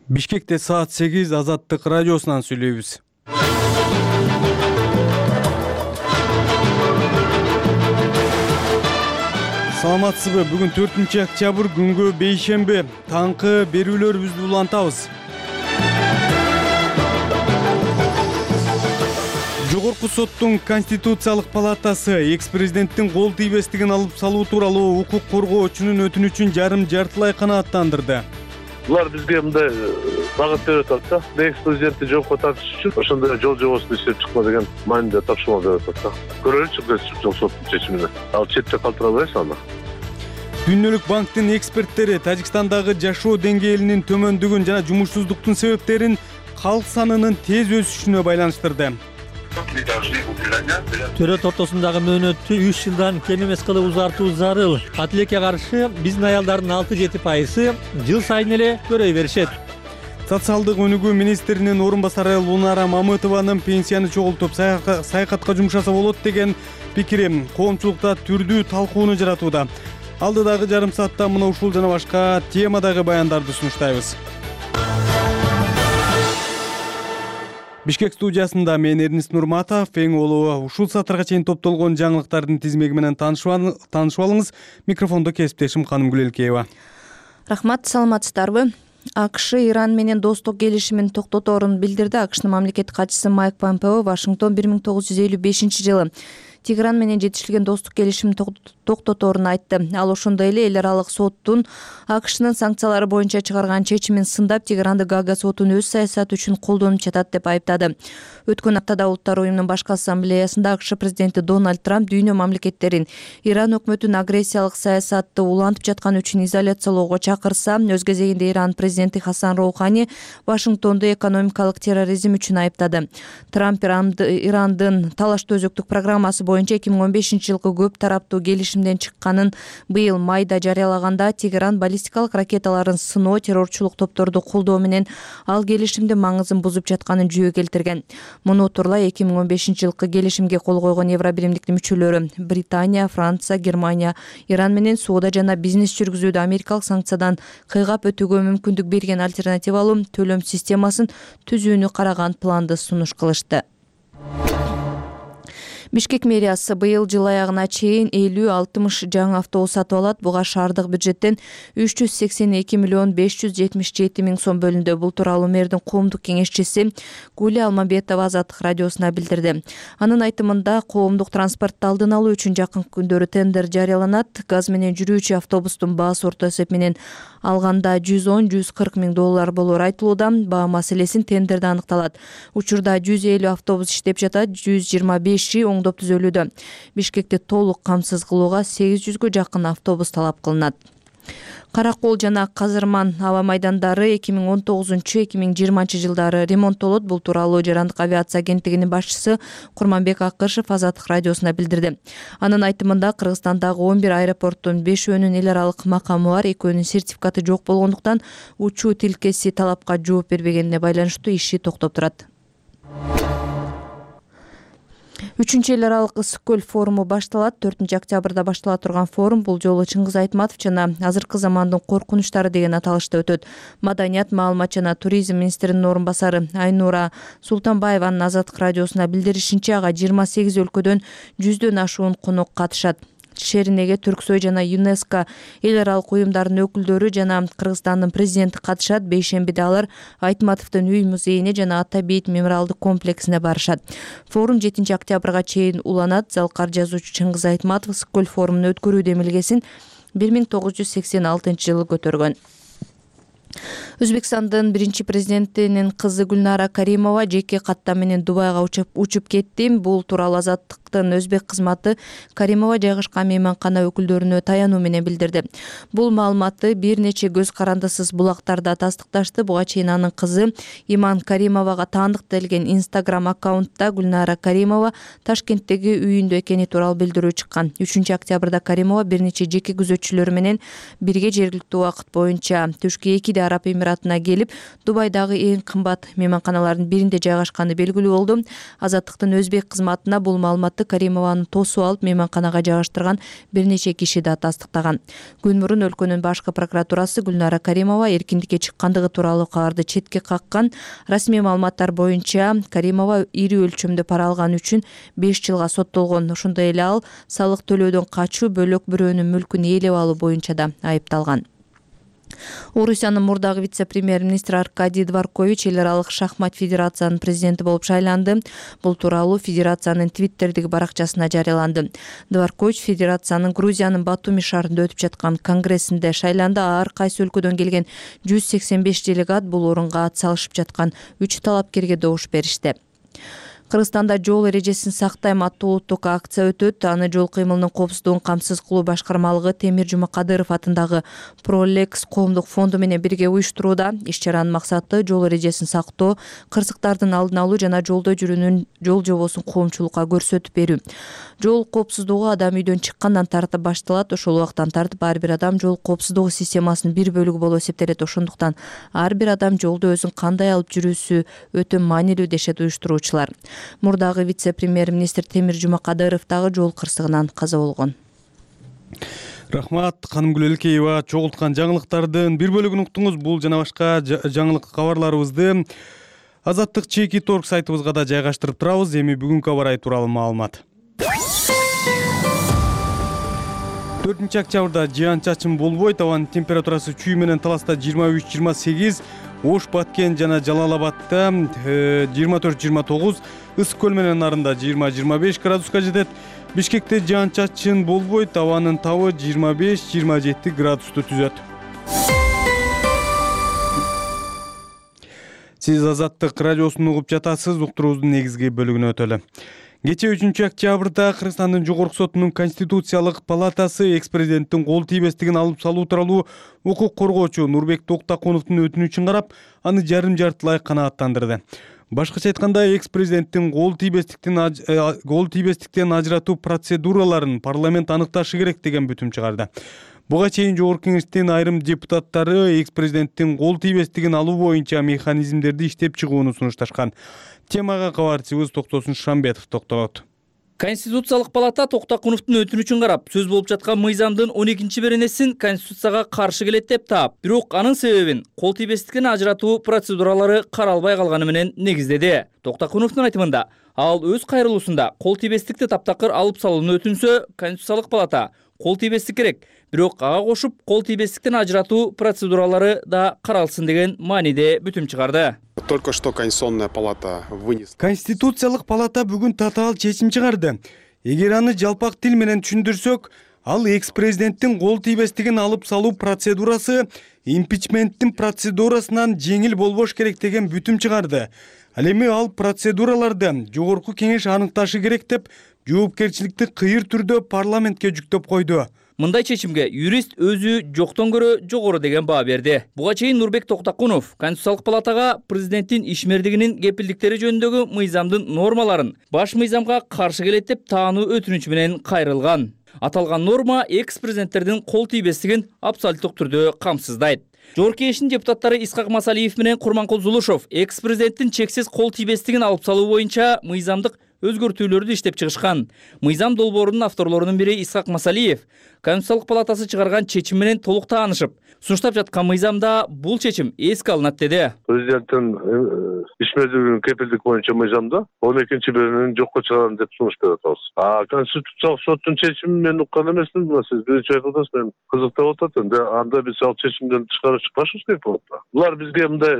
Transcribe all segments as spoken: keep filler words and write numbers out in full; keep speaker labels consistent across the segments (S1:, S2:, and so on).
S1: Бишкекте саат сегиз Азаттык радиосунан сүйлөйбүз. Саламатсызбы? Бүгүн төртүнчү октябрь күнгө бейшемби. Таңкы берүүлөрүбүздү улантабыз. Жогорку соттун Конституциялык палатасы экс-президенттин кол тийбестигин алып салуу тууралуу укук коргоочунун өтүнүчүн жарым жартылай канааттандырды.
S2: Булар бизге мындай багыт берип атат да. Экс-президентти жоопко тартыш үчүн ошондой жол жобосун иштеп чыкма деген мааниде тапшырма берип атат да. Көрөлүчү жол соттун чечимине. Ал четте калтырабайбыз аны.
S1: Дүнөлүк банктын эксперттери Тажикстандагы жашоо деңгээлинин төмөндүгүн жана жумушсуздуктун себептерин калк санынын тез өсүшүнө байланыштырды.
S3: Төрөт ортосундагы мөөнөттү үч жылдан кем эмес кылып узартуу зарыл. Кат элекке каршы биздин аялдардын алты жети пайызы жыл сайын эле көрөй беришет.
S1: Социалдык өнүгүү министринин орун басары Лунара Мамытованын пенсияны чогултуп саякатка жумшаса болот деген пикири коомчулукта түрдүү талкууну жаратууда. Алдыдагы жарым саатта мына ушул жана башка темадагы баяндарды сунуштайбыз. Бишкек студиясында мен Эрнист Нурматов, эң улуу ушул саатарга чейин топтолгон жаңылыктардын тизмеги менен таанышып алыңыз. Микрофондо кесиптешим Канымгүл Элкеева.
S4: Рахмат, саламатсыздарбы? АКШ Иран менен достук келишимин токтоторун билдирди. АКШнын мамлекеттик катчысы Майк Помпео Вашингтон бир миң тогуз жүз элүү бешинчи жылы Тегеран менен жетишилген достук келишимин токтоторун айтты. Ал ошондой эле эл аралык соттун АКШнын санкциялары боюнча чыгарган чечимин сындап, Тегеранды Гага сотун өз саясаты үчүн колдонуп жатат деп айыптады. Өткөн аптада Улуттар уюмунун башкы ассамблеясында АКШ президенти Дональд Трамп дүйнө мамлекеттерин Иран өкмөтүнүн агрессиялык саясатты улантып жатканы үчүн изоляциялоого чакырса, өз кезегинде Иран президенти Хасан Роухани Вашингтонду экономикалык терроризм үчүн айыптады. Трамп Ирандын талаштуу өзөктүк программасы боюнча эки миң он бешинчи жылкы көп тараптуу келишимден чыкканын быйыл майда жарыялаганда, Тегеран баллистикалык ракеталарын сыноо, террорчулук топторду колдоо менен ал келишимдин маңызын бузуп жатканын жүйө келтирген. Муну тууралай эки миң он бешинчи жылкы келишимге кол койгон Евробиримдиктин мүчөлөрү Британия, Франция, Германия Иран менен соода жана бизнес жүргүзүүдө америкалык санкциядан кыйгап өтүүгө мүмкүндүк берген альтернативалуу төлөм системасын түзүүнү караган планды сунуш кылышты. Бишкек мэриясы быйыл жыл аягына чейин элүү алтымыш жаңы автобус сатып алат. Буга шаардык бюджеттен үч жүз сексен эки миллион беш жүз жетимиш жети миң сом бөлүндү. Бул тууралуу мэрдин коомдук кеңешчиси Гуля Алмамбетова Азаттык радиосуна билдирди. Анын айтымында, коомдук транспортту алдын алуу үчүн жакын күндөрү тендер жарыяланат. Газ менен жүрүүчү автобустун баасы орто эсеп менен алганда жүз он — жүз кырк миң доллар болоору айтылууда. Баа маселесин тендерде аныкталат. Учурда жүз элүү автобус иштеп жатат, жүз жыйырма беши оңдоп түзөлүүдө. Бишкекти толук камсыз кылууга сегиз жүзгө жакын автобус талап кылынат. Каракол жана Казырман аба майдандары эки миң он тогузунчу — эки миң жыйырманчы жылдары ремонттолот. Бул тууралуу Жарандык авиация агенттигинин башчысы Курманбек Акышев Азаттык радиосуна билдирди. Анын айтымында, Кыргызстандагы он бир аэропорттун бешөөнүн эл аралык макамы бар, экөөнүн сертификаты жок болгондуктан учуу тилкеси талапка жооп бербегенине байланыштуу иши токтоп турат. Үчүнчү эл аралык ысык көл форуму башталат. төртүнчү октябрда баштала турган форум бул жолу Чыңгыз Айтматов жана азыркы замандын коркунучтары деген аталышта өтөт. Маданият, маалымат жана туризм министринин орун басары Айнура Султанбаеванын Азаттык радиосуна билдиришинче, ага жыйырма сегиз өлкөдөн жүздөн ашуун конок катышат. Шеринеге Түрксой жана ЮНЕСКО эл аралык уюмдарынын өкүлдөрү жана Кыргызстандын президенти катышат. Бейшембиде алар Айтматовдун үй музейине жана Ата бейит мемориалдык комплексине барышат. Форум жетинчи октябрга чейин уланат. Залкар жазуучу Чыңгыз Айтматов ысык көл форумун өткөрүү демилгесин бир миң тогуз жүз сексен алтынчы жылы көтөргөн. Өзбекстандын биринчи президентинин кызы Гүлнара Каримова жеке каттам менен Дубайга учуп, учуп кетти. Бул тууралуу Азаттыктын өзбек кызматы Каримова жайгашкан мейманкана өкүлдөрүнө таянуу менен билдирди. Бул маалыматты бир нече көз карандысыз булактарда тастыкташты. Буга чейин анын кызы Иман Каримовага таандык делген Instagram аккаунтта Гүлнара Каримова Ташкенттеги үйүндө экени тууралуу билдирүү чыккан. үчүнчү октябрда Каримова бир нече жеке күзөтчүлөрү менен бирге жергиликтүү убакыт боюнча түшкү экиде Араб Эмиратына келип, Дубайдагы эң кымбат мейманканалардын биринде жайгашканы белгилүү болду. Азаттыктын өзбек кызматына бул маалыматты Каримованы тосуп алып, мейманканага жайгаштырган бир нече киши да тастыктаган. Күн мурун өлкөнүн башкы прокуратурасы Гүлнара Каримова эркиндикке чыккандыгы тууралуу кабарды четке каккан. Расмий маалыматтар боюнча Каримова ири өлчөмдө пара алган үчүн беш жылга соттолгон. Ошондой эле ал салык төлөөдөн качуу, бөлөк бирөөнүн мүлкүн ээлеп алуу боюнча да айыпталган. Орусиянын мурдагы вице-премьер-министри Аркадий Дворкович эл аралык шахмат федерациянын президенти болуп шайланды. Бул тууралуу федерациянын Твиттердеги баракчасына жарыяланды. Дворкович федерациянын Грузиянын Батуми шаарында өтүп жаткан конгрессинде шайланды. Ар кайсы өлкөдөн келген жүз сексен беш делегат бул орунга ат салышып жаткан үч талапкерге добуш беришти. Кыргызстанда жол эрежесин сактайм аттуу улуттук акция өтөт. Аны жол кыймылынын коопсуздугун камсыз кылуу башкармалыгы Темир Жумакадыров атындагы Пролекс коомдук фонду менен бирге уюштурууда. Иш-чаранын максаты жол эрежесин сактоо, кырсыктардын алдын алуу жана жолдо жүрүүнүн жол жобосун коомчулукка көрсөтүп берүү. Жол коопсуздугу адам үйдөн чыккандан тартып башталат. Ошол убактан тартып ар бир адам жол коопсуздугу системасынын бир бөлүгү болуп эсептелет. Ошондуктан ар бир адам жолдо өзүн кандай алып жүрүүсү өтө маанилүү дешет уюштуруучулар. Мурдагы вице-премьер-министр Темир Жумакадыров дагы жол кырсыгынан каза болгон.
S1: Рахмат, Канымгүл Элкеева. Чогулткан жаңылыктардын бир бөлүгүн уктуңуз. Бул жана башка жаңылык кабарларыбызды Азаттык чеки торг сайтыбызга да жайгаштырып турабыз. Эми бүгүнкү аба ырайы тууралуу маалымат. төртүнчү октябрда жаан-чачын болбойт. Абанын температурасы чүй менен Таласта жыйырма үч жыйырма сегиз, Ош, Баткен жана Жалал-Абадта жыйырма төрт жыйырма тогуз, Ысык көл менен Нарында жыйырма жыйырма беш градуска жетет. Бишкекте жаан-чачын болбойт. Абанын табы жыйырма беш жыйырма жети градусту түзөт. Сиз Азаттык радиосун угуп жатасыз. Уктуруубуздун негизги бөлүгүнө өтөлү. Кечээ үчүнчү октябрда Кыргызстандын Жогорку сотунун Конституциялык палатасы экс-президенттин кол тийбестигин алып салуу тууралуу укук коргоочу Нурбек Токтакуновдун өтүнүчүн карап, аны жарым-жартылай канааттандырды. Башкача айтканда, экс-президенттин кол тийбестиктен кол тийбестиктен ажыратуу процедураларын парламент аныкташы керек деген бүтүм чыгарды. Буга чейин Жогорку Кеңештин айрым депутаттары экс-президенттин кол тийбестигин алуу боюнча механизмдерди иштеп чыгууну сунушташкан. Темага кабарчыбыз Токтосун Шамбетов токтолот.
S5: Конституциялык палата Токтакуновдун өтүнүчүн карап, сөз болуп жаткан мыйзамдын он экинчи беренесин Конституцияга каршы келет деп таап, бирок анын себебин кол тийбестиктен ажыратуу процедуралары каралбай калганы менен негиздеди. Токтакуновдун айтымында, ал өз кайрылуусунда кол тийбестикти таптакыр алып салууну өтүнсө, Конституциялык палата кол тийбестик керек, бирок ага кошуп кол тийбестиктен ажыратуу процедуралары да каралсын деген мааниде бүтүм чыгарды.
S6: Только что Конституционная палата вынесла.
S1: Конституциялык палата бүгүн татаал чечим чыгарды. Эгер аны жалпак тил менен түшүндүрсөк, ал экс-президенттин кол тийбестигин алып салуу процедурасы импичменттин процедурасынан жеңил болбош керек деген бүтүм чыгарды. Ал эми ал процедураларды Жогорку Кеңеш аныкташы керек деп, жоопкерчиликти кыйыр түрдө парламентке жүктөп койду.
S5: Мындай чечимге юрист өзү жоктон көрө жогору деген баа берди. Буга чейин Нурбек Токтакунов Конституциялык палатага президенттин ишмердигинин кепилдиктери жөнүндөгү мыйзамдын нормаларын баш мыйзамга каршы келет деп таануу өтүнүчү менен кайрылган. Аталган норма экс-президенттердин кол тийбестигин абсолюттук түрдө камсыздайт. Жогорку Кеңештин депутаттары Исхак Масалиев менен Курманкул Зулушов экс-президенттин чексиз кол тийбестигин алып салуу боюнча мыйзамдык өзгөртүүлөрдү иштеп чыгышкан. Мыйзам долбоорунун авторлорунун бири Исхак Масалиев Конституциялык палатасы чыгарган чечим менен толук таанышып, сунуштап жаткан мыйзамда бул чечим эске алынат деди.
S2: Президенттин ишмердигинин кепилдик боюнча мыйзамда он экинчи беренени жокко чыгарам деп сунуш берип атабыз. А Конституциялык соттун чечимин мен уккан эмесмин. Сиз биринчи айтып атасыз, мен кызыктап атат. Энди анда биз ал чечимден тышкары чыкпашыбыз керек болот да. Булар бизге мындай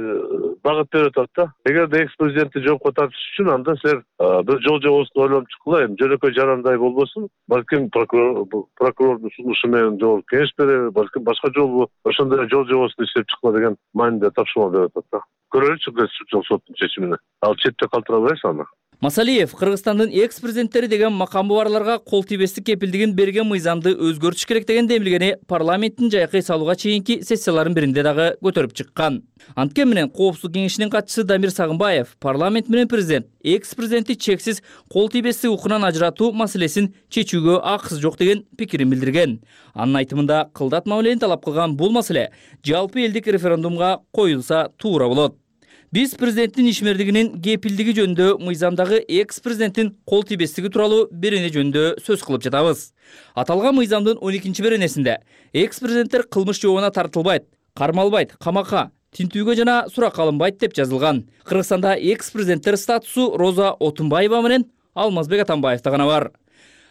S2: багыт берип атат да. Эгерде экс-президентти жоопко тартыш үчүн анда силер бир жол жобосун ойлонуп чыккыла, эми жөнөкөй жарандай болбосун, балким прокурор прокурордун сунушу менен Жогорку Кеңеш береби, балким башка жолу ошондой жол жобосун иштеп чыккыла деген мааниде тапшырма берип атат да. Көрөлүчү Конституциялык соттун чечимине. Ал четте калтырабайбыз аны.
S5: Масалиев Кыргызстандын экс президенттери деген макамы барларга кол тийбестик кепилдигин берген мыйзамды өзгөртүш керек деген демилгени парламенттин жайкы салууга чейинки сессияларынын биринде дагы көтөрүп чыккан. Анткени менен Коопсуздук кеңешинин катчысы Дамир Сагынбаев парламент менен президент экс президентти чексиз кол тийбестик укугунан ажыратуу маселесин чечүүгө акысы жок деген пикирин билдирген. Анын айтымында кылдат мамилени талап кылган бул маселе жалпы элдик референдумга коюлса туура болот. Биз президенттин ишмердигинин кепилдиги жөнүндө мыйзамдагы экс президенттин кол тийбестиги тууралуу берене жөнүндө сөз кылып жатабыз. Аталган мыйзамдын он экинчи беренесинде экс президенттер кылмыш жообуна тартылбайт, кармалбайт, камакка, тинтүүгө жана суракка алынбайт деп жазылган. Кыргызстанда экс президенттер статусу Роза Отунбаева менен Алмазбек Атамбаевда гана бар.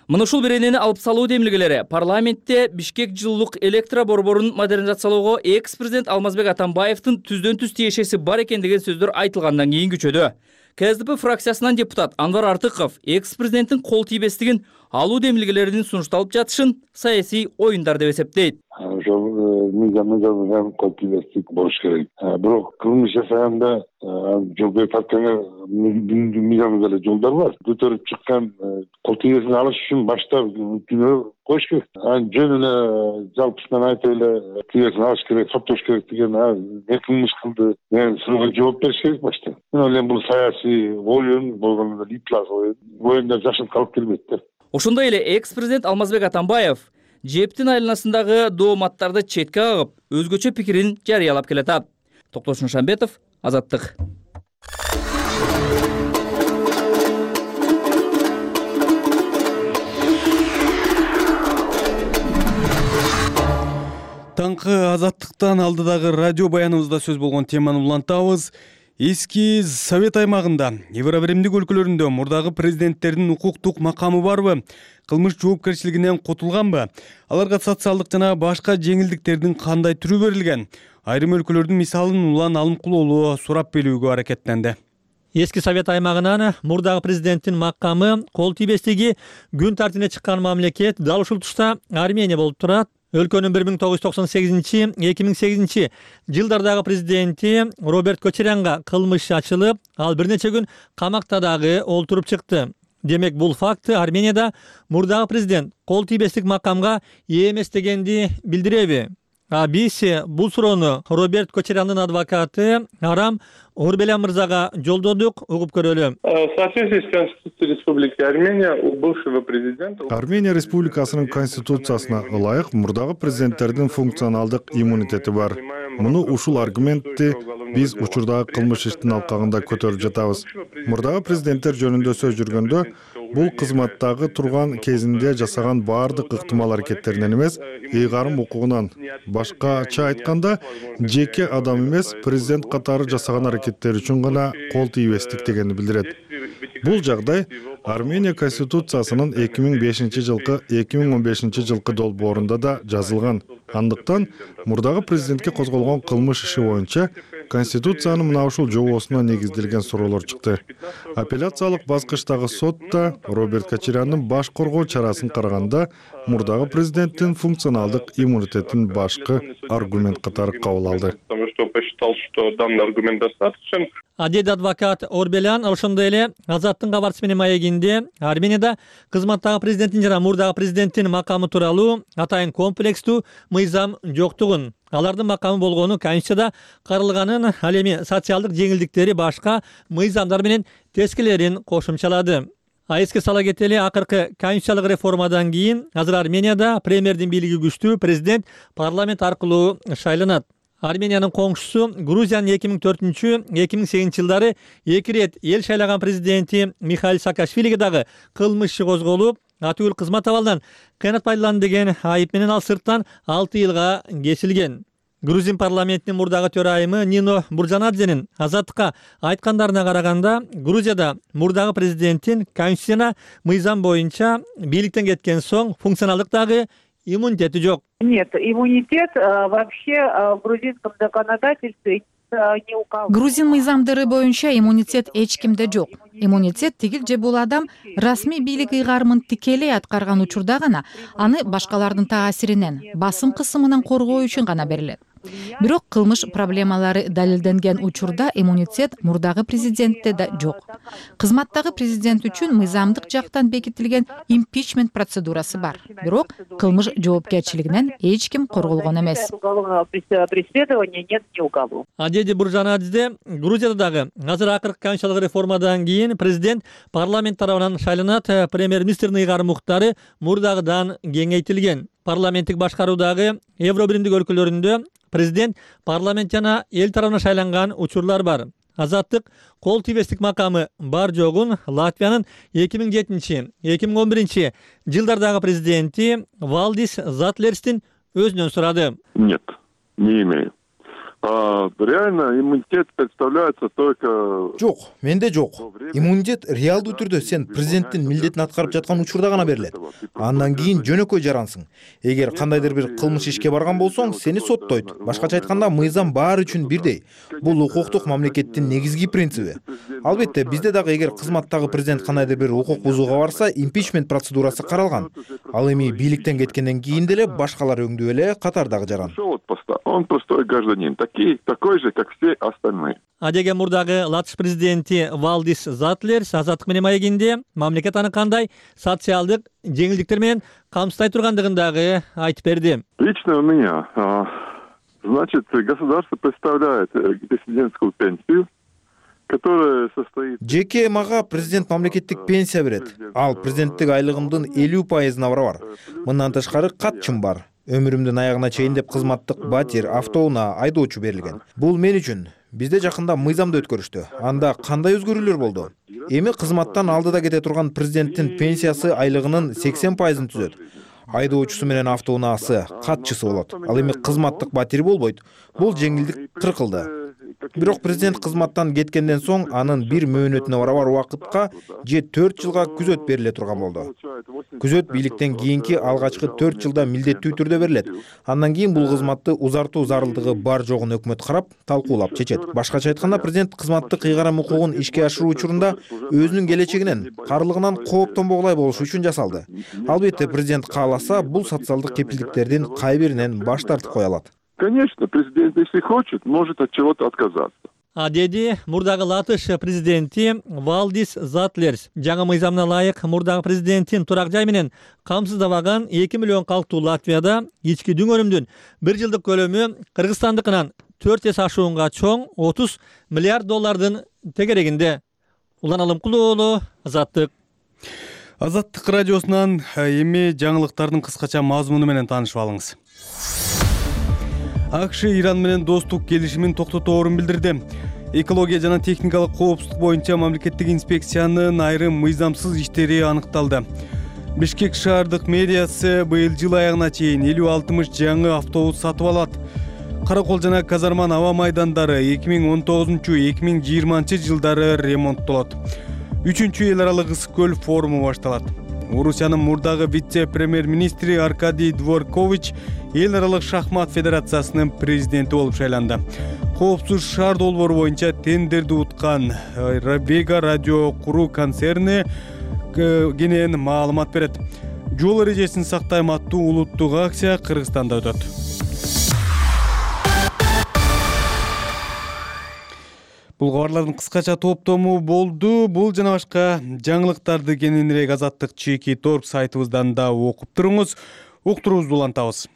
S5: Мына ушул беренени алып салуу демилгелери парламентте Бишкек жылуулук электро борборун модернизациялоого экс президент Алмазбек Атамбаевдин түздөн түз тиешеси бар экен деген сөздөр айтылгандан кийин күчөдү. КСДП фракциясынан депутат Анвар Артыков экс президенттин кол тийбестигин алуу демилгелеринин сунушталып жатышын саясий оюндар деп эсептейт.
S7: Ошол мыйзамда жазылган кол тийбестик болуш керек. Бирок кылмыш жасаганда жол берип атканга мыйзамда эле жолдор бар. Көтөрүп чыккан кол тийбестикти алыш үчүн башта күнөө коюш керек. Анын жөнүнө жалпысынан айтып эле тийбестикти алыш керек, соттош керек деген не кылмыш кылды деген суроого жооп бериш керек башта. Мен ойлойм бул саясий оюн болгондо иплас оюн. Оюнда жашынып калып келбейт да.
S5: Ошондой эле экс президент Алмазбек Атамбаев жептин айланасындагы дооматтарды четке кагып, өзгөчө пикирин жарыялап келатат. Токтош Нушанбетов, Азаттык.
S1: Таңкы Азаттыктан алдыдагы радио баяныбызда сөз болгон теманы улантабыз. Эски Совет аймагында, Евробиримдик өлкөлөрүндө мурдагы президенттердин укуктук макамы барбы? Кылмыш жоопкерчилигинен котулганбы? Аларга социалдык жана башка жеңилдиктердин кандай түрү берилген? Айрым өлкөлөрдүн мисалын улан алымкулоолу сурап билүүгө аракеттенди.
S3: Эски Совет аймагынан мурдагы президенттин макамы кол тийбестиги күн тартибине чыккан мамлекет дал ушул тушта Армения болуп турат. Өлкөнүн бир миң тогуз жүз токсон сегизинчи — эки миң сегизинчи жылдардагы президенти Роберт Кочарянга кылмыш ачылып, ал бир нече күн камакта дагы олтуруп чыкты. Демек, бул факт Арменияда мурдагы президент кол тийбестик макамга ээ эмес дегенди билдиреби? А биз бул суроону Роберт Кочаряндын адвокаты Арам Орбелян мырзага жолдодук, угуп көрөлү.
S8: В соответствии с Конституцией Республики Армения у бывшего президента
S9: Армения Республикасынын конституциясына ылайык мурдагы президенттердин функционалдык иммунитети бар. Муну ушул аргументти биз учурдагы кылмыш иштин алкагында көтөрүп жатабыз. Мурдагы президенттер жөнүндө сөз жүргөндө бул кызматтагы турган кезинде жасаган баардык ыктымал аракеттеринен эмес, ыйгарым укугунан. Башкача айтканда, жеке адам эмес, президент катары жасаган аракеттери үчүн гана кол тийбестик дегенди билдирет. Бул жагдай Армения конституциясынын эки миң бешинчи жылкы эки миң он бешинчи жылкы долбоорунда да жазылган. Андыктан мурдагы президентке козголгон кылмыш иши боюнча Конституциянын мына ушул жобосуна негизделген суроолор чыкты. Апелляциялык баскычтагы сотта Роберт Кочаряндын баш коргоо чарасын караганда мурдагы президенттин функционалдык иммунитетин башкы аргумент катары кабыл алды.
S3: Адеди адвокат Орбелян ошондой эле Азаттын кабарчысы менен маегинде Арменияда кызматтагы президенттин жана мурдагы президенттин макамы тууралуу атайын комплекстүү мыйзам жоктугун, алардын макамы болгону Конституцияда каралганын, ал эми социалдык жеңилдиктери башка мыйзамдар менен тескелерин кошумчалады. А эске сала кетели, акыркы конституциялык реформадан кийин азыр Арменияда премьердин бийлиги күчтүү, президент парламент аркылуу шайланат. Армениянын коңшусу Грузиянын эки миң төртүнчү — эки миң сегизинчи жылдары эки ирет эл шайлаган президенти Михаил Саакашвилиге дагы кылмыш иши козголуп, атүгүл кызмат абалынан кыянат пайдаланды деген айып менен ал сырттан алты жылга кесилген. Грузин парламентинин мурдагы төрайымы Нино Буржанадзенин Азаттыкка айткандарына караганда, Грузияда мурдагы президенттин конституцияна мыйзам боюнча бийликтен кеткен соң функционалдык дагы иммунитети жок.
S10: Нет, иммунитет вообще в грузинском законодательстве не указан.
S11: Грузин мыйзамдары боюнча иммунитет эч кимде жок. Иммунитет тигил же бул адам расмий бийлик ыйгарымын тикелей аткарган учурда гана аны башкалардын таасиринен, басым кысымынан коргоо үчүн гана берилет. Бирок кылмыш проблемалары далилденген учурда иммунитет мурдагы президентте да жок. Кызматтагы президент үчүн мыйзамдык жактан бекитилген импичмент процедурасы бар. Бирок кылмыш жоопкерчилигинен эч ким корголгон эмес.
S10: Преследования нет ни у кого.
S3: Адеди Буржанадзе Грузияда дагы азыр акыркы конституциялык реформадан кийин президент парламент тарабынан шайланат. Премьер-министрдин ыйгарым укуктары мурдагыдан кеңейтилген. Парламенттик башкаруудагы Евро биримдик өлкөлөрүндө президент парламент жана эл тарабынан шайланган учурлар бар. Азаттык кол тийбестик макамы бар жогун Латвиянын эки миң жетинчи — эки миң он биринчи жылдардагы президенти Валдис Затлерстин өзүнөн сурады.
S12: Нет, не имею. А, реально иммунитет представляется только...
S13: Жок, менде жок. Иммунитет реалдуу түрдө сен президенттин милдетин аткарып жаткан учурда гана берилет. Андан кийин жөнөкөй жарансың. Эгер кандайдыр бир кылмыш ишке барган болсоң, сени соттойт. Башкача айтканда, мыйзам баары үчүн бирдей. Бул укуктук мамлекеттин негизги принциби. Албетте, бизде дагы эгер кызматтагы президент кандайдыр бир укук бузууга барса, импичмент процедурасы каралган. Ал эми бийликтен кеткенден кийин деле башкалар өңдүү эле катардагы жаран.
S12: Он простой гражданин. Такой же, как все остальные.
S3: Адеге мурдагы Латыш президенти Валдис Затлерс Азаттык менен маегинде мамлекет аны кандай социалдык жеңилдиктер менен камсыздай тургандыгын дагы айтып берди.
S12: Лично у меня, значит, государство представляет президентскую пенсию, которая состоит...
S13: Жеке мага президент мамлекеттик пенсия берет. Ал президенттик айлыгымдын элүү пайызына барабар. Мындан тышкары катчым бар. Өмүрүмдүн аягына чейин деп кызматтык батир, автоунаа, айдоочу берилген. Бул мен үчүн. Бизде жакында мыйзамды өткөрүштү. Анда кандай өзгөрүүлөр болду? Эми кызматтан алдыда кете турган президенттин пенсиясы айлыгынын сексен пайызын түзөт. Айдоочусу менен автоунаасы, катчысы болот. Ал эми кызматтык батири болбойт. Бул жеңилдик кыркылды. Бирок президент кызматтан кеткенден соң анын бир мөөнөтүнө барабар убакытка же төрт жылга күзөт бериле турган болду. Күзөт бийликтен кийинки алгачкы төрт жылда милдеттүү түрдө берилет. Андан кийин бул кызматты узартуу зарылдыгы бар жогун өкмөт карап, талкуулап чечет. Башкача айтканда, президент кызматтык ыйгарым укугун ишке ашыруу учурунда өзүнүн келечегинен, карлыгынан кооптонбогулай болуш үчүн жасалды. Албетте, президент кааласа, бул социалдык кепилдиктердин кай биринен баш тартып кое алат.
S12: Конечно, президент, если хочет, может от чего-то отказаться.
S3: А деди мурдагы Латыш президенти Валдис Затлерс жаңы мыйзамына ылайык мурдагы президенттин турак жай менен камсыздабаган эки миллион калктуу Латвияда ички дүңөрүмдүн бир жылдык көлөмү Кыргызстандыкынан төрт эсе ашуунга чоң отуз миллиард доллардын тегерегинде. Улан Алымкулуу уулу, Азаттык.
S1: Азаттык радиосунан эми жаңылыктардын кыскача мазмуну менен таанышып алыңыз. АКШ Иран менен достук келишимин токтоторун билдирди. Экология жана техникалык коопсуздук боюнча мамлекеттик инспекциянын айрым мыйзамсыз иштери аныкталды. Бишкек шаардык мэриясы быйыл жыл аягына чейин элүү алтымыш жаңы автобус сатып алат. Каракол жана Казарман аба майдандары эки миң он тогузунчу — эки миң жыйырманчы жылдары ремонттолот. Үчүнчү эл аралык ысык көл форуму башталат. Орусиянын мурдагы вице-премьер-министри Аркадий Дворкович эл аралык шахмат федерациясынын президенти болуп шайланды. Коопсуз шаар долбоору боюнча тендерди уткан Вега радио куруу концерни кенен маалымат берет. Жол эрежесин сактайм аттуу улуттук акция Кыргызстанда өтөт. Бул кабарлардын кыскача топтому болду. Бул жана башка жаңылыктарды кененирээк Азаттык чеки торп сайтыбыздан да окуп туруңуз. Уктуруубузду улантабыз.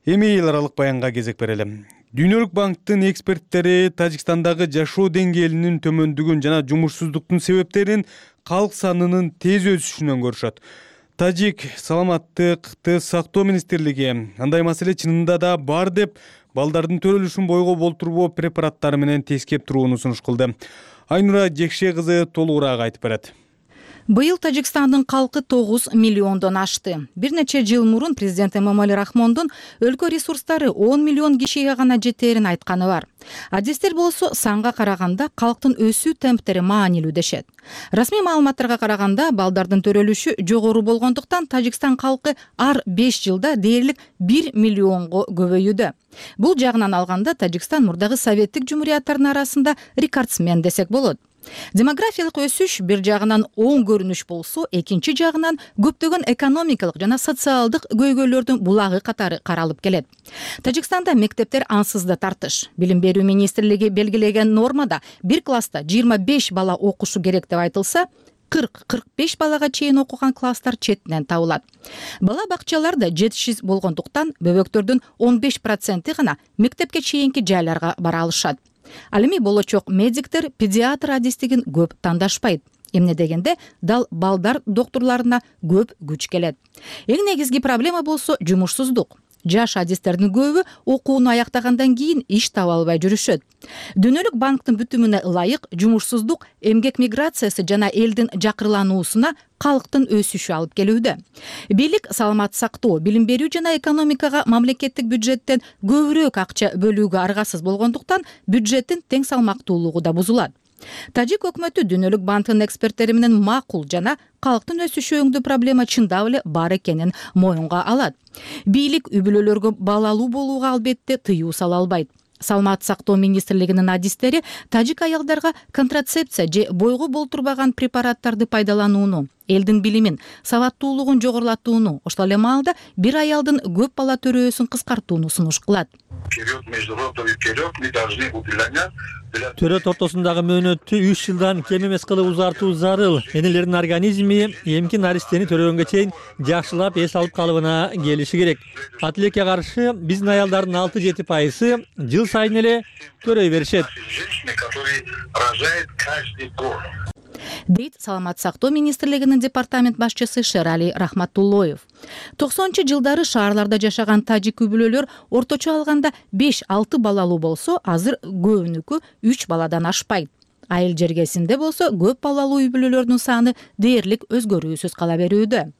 S1: Эми эл аралык баянга кезек берели. Дүйнөлүк банктын эксперттери Тажикстандагы жашоо деңгээлинин төмөндүгүн жана жумушсуздуктун себептерин калк санынын тез өсүшүнөн көрүшөт. Тажик саламаттыкты сактоо министрлиги андай маселе чынында да бар деп балдардын төрөлүшүн бойго болтурбоо препараттары менен тескеп турууну сунуш кылды. Айнура Жекше кызы толугураак айтып берет.
S11: Быйыл Тажикстандын калкы тогуз миллиондон ашты. Бир нече жыл мурун президент Эмомали Рахмондун өлкө ресурстары он миллион кишиге гана жетерин айтканы бар. Адистер болсо санга караганда калктын өсүү темптери маанилүү дешет. Расмий маалыматтарга караганда балдардын төрөлүшү жогору болгондуктан Тажикстан калкы ар беш жылда дээрлик бир миллионго көбөйүүдө. Бул жагынан алганда Тажикстан мурдагы советтик жумурияттардын арасында рекордсмен десек болот. Демографиялык өсүш бир жагынан оң көрүнүш болсо, экинчи жагынан көптөгөн экономикалык жана социалдык көйгөйлөрдүн булагы катары каралып келет. Тажикстанда мектептер ансыз да тартыш. Билим берүү министрлиги белгилеген нормада бир класста жыйырма беш бала окушу керек деп айтылса, кырк кырк беш балага чейин окуган класстар четинен табылат. Бала бакчаларда жетишсиз болгондуктан бөбөктөрдүн он беш проценти гана мектепке чейинки жайларга бара алышат. Ал эми болочок медиктер педиатр адистигин көп тандашпайт. Эмне дегенде дал балдар доктурларына көп күч келет. Эң негизги проблема болсо жумушсуздук. Жаш адистердин көбү окууну аяктагандан кийин иш таба албай жүрүшөт. Дүйнөлүк банктын бүтүмүнө ылайык жумушсуздук эмгек миграциясы жана элдин жакырлануусуна калктын өсүшү алып келүүдө. Бийлик саламат сактоо, билим берүү жана экономикага мамлекеттик бюджеттен көбүрөөк акча бөлүүгө аргасыз болгондуктан бюджеттин тең салмактуулугу да бузулат. Тажик өкмөтү Дүйнөлүк банктын эксперттери менен макул жана калктын өсүшү өңдүү проблема чындап эле бар экенин моюнга алат. Бийлик үй бүлөлөргө балалуу болууга албетте тыюу сала албайт. Саламат сактоо министрлигинин адистери тажик аялдарга контрацепция же бойго болтурбаган препараттарды пайдаланууну, элдин билимин, сабаттуулугун жогорулатууну, ошол эле маалда бир аялдын көп бала төрөөсүн кыскартууну сунуш кылат.
S3: Төрөт ортосундагы мөөнөттү үч жылдан кем эмес кылып узартуу зарыл. Энелердин организми эмки наристени төрөгөнгө чейин жакшылап эс алып калыбына келиши керек. Атилекке каршы биздин аялдардын алты жети пайызы жыл сайын эле төрөй беришет.
S11: Дейт саламат сактоо министрлигинин департамент башчысы Шерали Рахматуллоев. токсонунчу жылдары шаарларда жашаган тажик үй бүлөлөр орточо алганда беш алты балалуу болсо, азыр көбүнүкү үч баладан ашпайт. Айыл жергесинде болсо көп балалуу үй бүлөлөрдүн саны дээрлик өзгөрүүсүз кала берүүдө.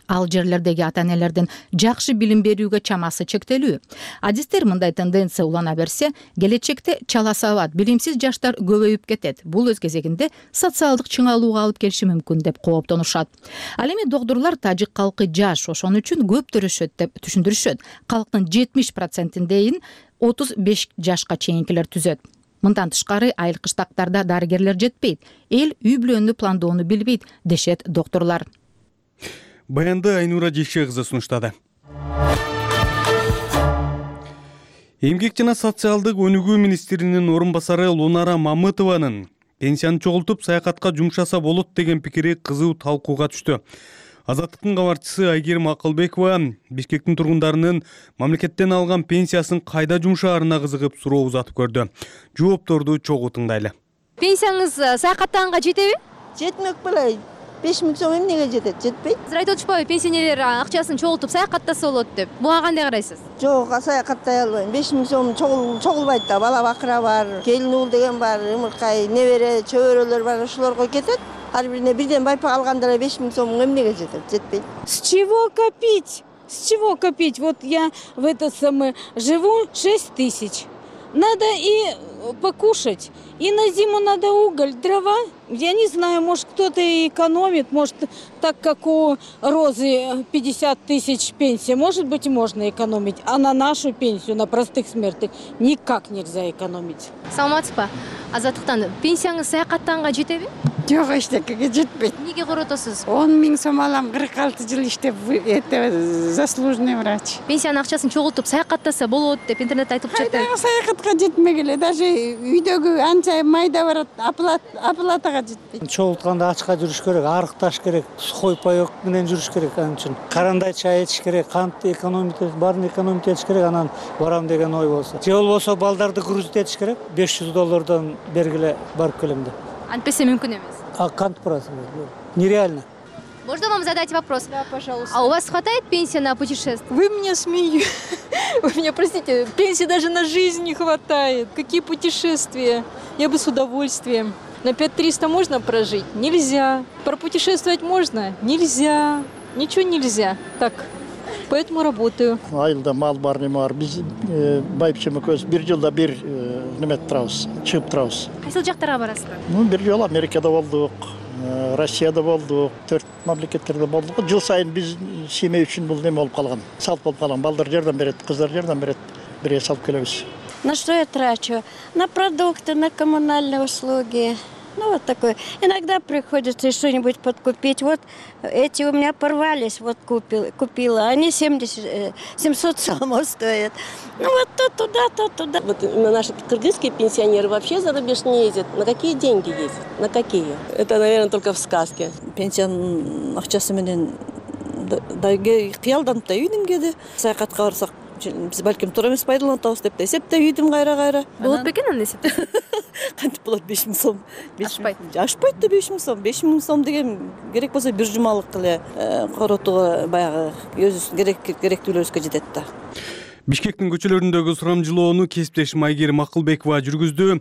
S11: Ал жерлердеги ата-энелердин жакшы билим берүүгө чамасы чектелүү. Адистер мындай тенденция улана берсе, келечекте чала сабат, билимсиз жаштар көбөйүп кетет. Бул өз кезегинде социалдык чыңалууга алып келиши мүмкүн деп кооптонушат. Ал эми доктурлар тажик калкы жаш, ошон үчүн көп төрөшөт деп түшүндүрүшөт. Калктын жетимиш процентиндейин отуз беш жашка чейинкилер түзөт. Мындан тышкары айыл кыштактарда дарыгерлер жетпейт. Эл үй бүлөнү пландоону билбейт, дешет доктурлар.
S1: Баянды Айнура Жекше кызы сунуштады. Эмгек жана социалдык өнүгүү министринин орун басары Лунара Мамытованын пенсияны чогултуп саякатка жумшаса болот деген пикири кызуу талкууга түштү. Азаттыктын кабарчысы Айгерим Акылбекова Бишкектин тургундарынын мамлекеттен алган пенсиясын кайда жумшаарына кызыгып суроо узатып көрдү. Жоопторду чогуу тыңдайлы.
S14: Пенсияңыз саякаттаганга жетеби?
S15: Жетмек беле. беш миң сом эмнеге жетет? Жетпейт.
S14: Сиз айтып атышпайбы, пенсионерлер акчасын чогултуп саякаттаса болот деп. Буга кандай карайсыз?
S15: Жок, саякаттай албайм. беш миң сом чогулбайт да. Бала бакыра бар, келин уул деген бар, ымыркай, небере, чөбөрөлөр бар, ошолорго кетет. Ар бирине бирден байпак алганда эле беш миң сом эмнеге жетет? Жетпейт.
S16: С чего копить? С чего копить? Вот я в этот самый живу шесть тысяч. Надо и покушать, и на зиму надо уголь, дрова. Я не знаю, может кто-то и экономит, может так как у Розы пятьдесят тысяч пенсия, может быть и можно экономить, а на нашу пенсию, на простых смертных никак нельзя экономить.
S14: Саламатсызбы? Азаттыктан пенсияңыз саякаттаганга жетеби?
S17: Жок, эчтекеге жетпейт.
S14: Эмнеге коротосуз?
S17: он миң сом алам, кырк алты жыл иштеп, это заслуженный врач.
S14: Пенсиянын акчасын чогултуп саякаттаса болот деп интернетте айтып жатат.
S17: Кайдагы саякатка жетмек эле, даже үйдөгү анча майда барат, оплатага жетпейт.
S18: Чогултканда ачка жүрүш керек, арыкташ керек, сухой паёк менен жүрүш керек, анын үчүн карандай чай ичиш керек, кант экономить, баарын экономить этиш керек, анан барам деген ой болсо. Же болбосо балдарды грузить этиш керек, беш жүз доллардан бергиле барып келем деп.
S14: Антпесе мүмкүн эмес.
S18: А кант барасың? Нереально.
S14: Можно вам задать вопрос?
S16: Да, пожалуйста.
S14: А у вас хватает пенсии на путешествие?
S16: Вы меня смеете. Вы меня простите, пенсии даже на жизнь не хватает. Какие путешествия? Я бы с удовольствием. На пять триста можно прожить? Нельзя. Пропутешествовать можно? Нельзя. Ничего нельзя. Так, поэтому работаю.
S19: Айылда мал бар неме бар. Биз байпчым экөөбүз бир жылда бир неме турабыз, чыгып турабыз.
S14: Кайсыл жактарга барасыздар?
S19: Ну, бир жолу Америкада болдук, Россияда болдук, төрт мамлекеттерде болдук. Жыл сайын биз семей үчүн бул неме болуп калган. Салт болуп калган. Балдар жардам берет, кыздар жардам берет. Бирге салып келебиз.
S20: На что я трачу? На продукты, на коммунальные услуги. Ну, вот такое. Иногда приходится что-нибудь подкупить. Вот эти у меня порвались, вот купил, купила. Они семьдесят, семьсот сомов стоят. Ну, вот то туда, то туда.
S21: Вот наши кыргызские пенсионеры вообще за рубеж не ездят. На какие деньги ездят? На какие? Это, наверное, только в сказке.
S22: Пенсияның акчасы менен кыялданып да үйдүм кеди. Саякатка барсак, биз балким туура эмес пайдаланып атабыз деп да эсептеп үйдүм кайра-кайра.
S14: Болот бекен анын эсепти?
S22: Кантип болот беш миң сом?
S14: Ашпайт.
S22: Ашпайт да беш миң сом. беш миң сом деген керек болсо бир жумалык эле коротууга баягы өзүбүздүн керек керектүүлөрүбүзгө жетет да.
S1: Бишкектин көчөлөрүндөгү сурамжылоону кесиптешим Майгер Макылбекова жүргүздү.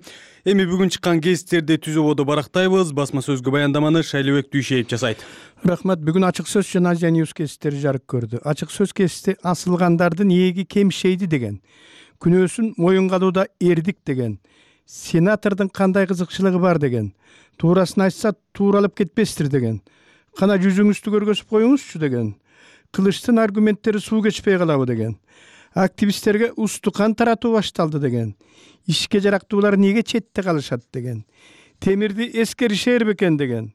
S1: Эми бүгүн чыккан гезиттерди түз ободо барактайбыз. Басма сөзгө баяндаманы Шайлыбек Дүйшеев жасайт.
S23: Рахмат. Бүгүн ачык сөз жана Азия Ньюс гезиттери жарык көрдү. Ачык сөз гезити асылгандардын ээги кемшейди деген, күнөөсүн моюнга алууда эрдик деген, сенатордун кандай кызыкчылыгы бар деген, туурасын айтса тууралып кетпестир деген, кана жүзүңүздү көргөзүп коюңузчу деген, кылычтын аргументтери суу кечпей калабы деген, активисттерге устукан таратуу башталды деген, ишке жарактуулар неге четте калышат деген, темирди эскеришер бекен деген,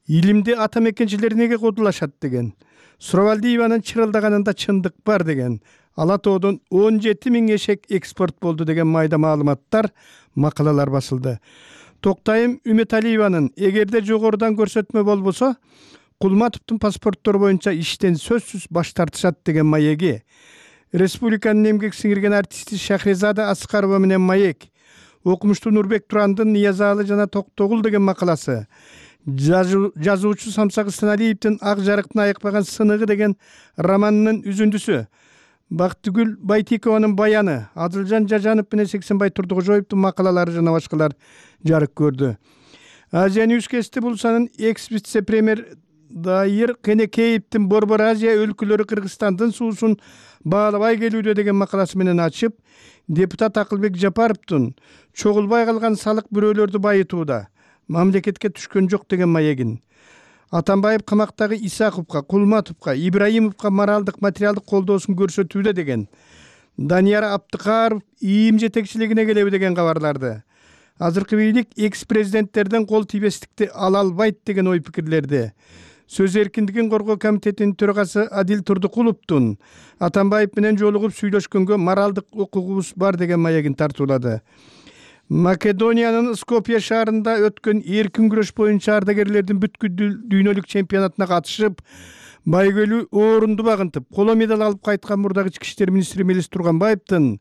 S23: илимди ата мекенчилер неге кодулашат деген, Суравалдиеванын чырылдаганында чындык бар деген, Ала тоодон он жети миң эшек экспорт болду деген майда маалыматтар, макалалар басылды. Токтайым Үмөталиеванын эгерде жогорудан көрсөтмө болбосо, Кулматовдун паспорттору боюнча иштен сөзсүз баш тартышат деген маеги, Республиканын эмгек сиңирген артисти Шахрезада Аскарова менен маек, окумуштуу Нурбек Турандын Ниязалы жана Токтогул деген макаласы, жазуучу Самсак Ысаналиевдин Ак жарыктын айыкпаган сыныгы деген романынын үзүндүсү, Бактыгүл Байтикованын баяны, Адылжан Жажанов менен Сексенбай Турдукожоевдун макалалары жана башкалар жарык көрдү. Азия Ньюс гезити бул санын экс-вице-премьер Дайыр Кенекеевдин Борбор Азия өлкөлөрү Кыргызстандын суусун баалабай келүүдө деген макаласы менен ачып, депутат Акылбек Жапаровдун чогулбай калган салык бирөөлөрдү байытууда, мамлекетке түшкөн жок деген маегин, Атамбаев камактагы Исаковго, Кулматовго, Ибраимовго моралдык, материалдык колдоосун көрсөтүүдө деген, Данияр Аптыкаров ИИМ жетекчилигине келеби деген кабарларды, азыркы бийлик экс-президенттерден кол тийбестикти ала албайт деген ой пикирлерди, Сөз эркиндигин коргоо комитетинин төрагасы Адил Турдукуловдун Атамбаев менен жолугуп сүйлөшкөнгө моралдык укугубуз бар деген маегин тартуулады. Македониянын Скопье шаарында өткөн эркин күрөш боюнча ардагерлердин бүткүл дүйнөлүк чемпионатына катышып, байгөлүү орунду багынтып, коло медаль алып кайткан мурдагы ички иштер министри Мелис Турганбаевдин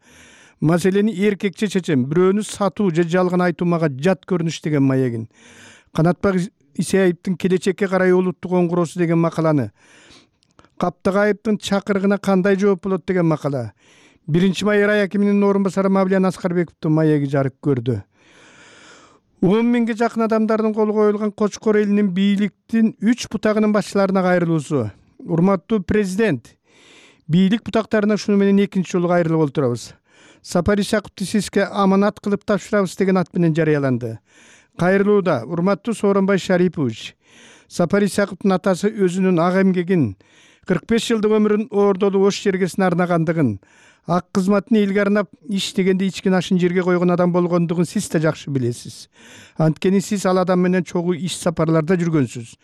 S23: маселени эркекче чечем, бирөөнү сатуу же жалган айтуу мага жат көрүнүш деген маегин, Канатбек Исаевдин келечекке карай улуттук оңгуроосу деген макаланы, Каптагаевдин чакырыгына кандай жооп болот деген макала, биринчи май рай акиминин орун басары Мавлиян Аскарбековдун маеги жарык көрдү. он миңге жакын адамдардын колу коюлган Кочкор элинин бийликтин үч бутагынын башчыларына кайрылуусу. Урматтуу президент, бийлик бутактарына шуну менен экинчи жолу кайрылып отурабыз. Сапар Исаковду сизге аманат кылып тапшырабыз деген ат менен жарыяланды. Кайрылууда урматтуу Сооронбай Шарипович, Сапар Исаковдун атасы өзүнүн ак эмгегин, кырк беш жылдык өмүрүн оордолуу ош жергесине арнагандыгын, ак кызматын элге арнап иштегенде ичкен ашын жерге койгон адам болгондугун сиз да жакшы билесиз. Анткени сиз ал адам менен чогуу иш сапарларда жүргөнсүз.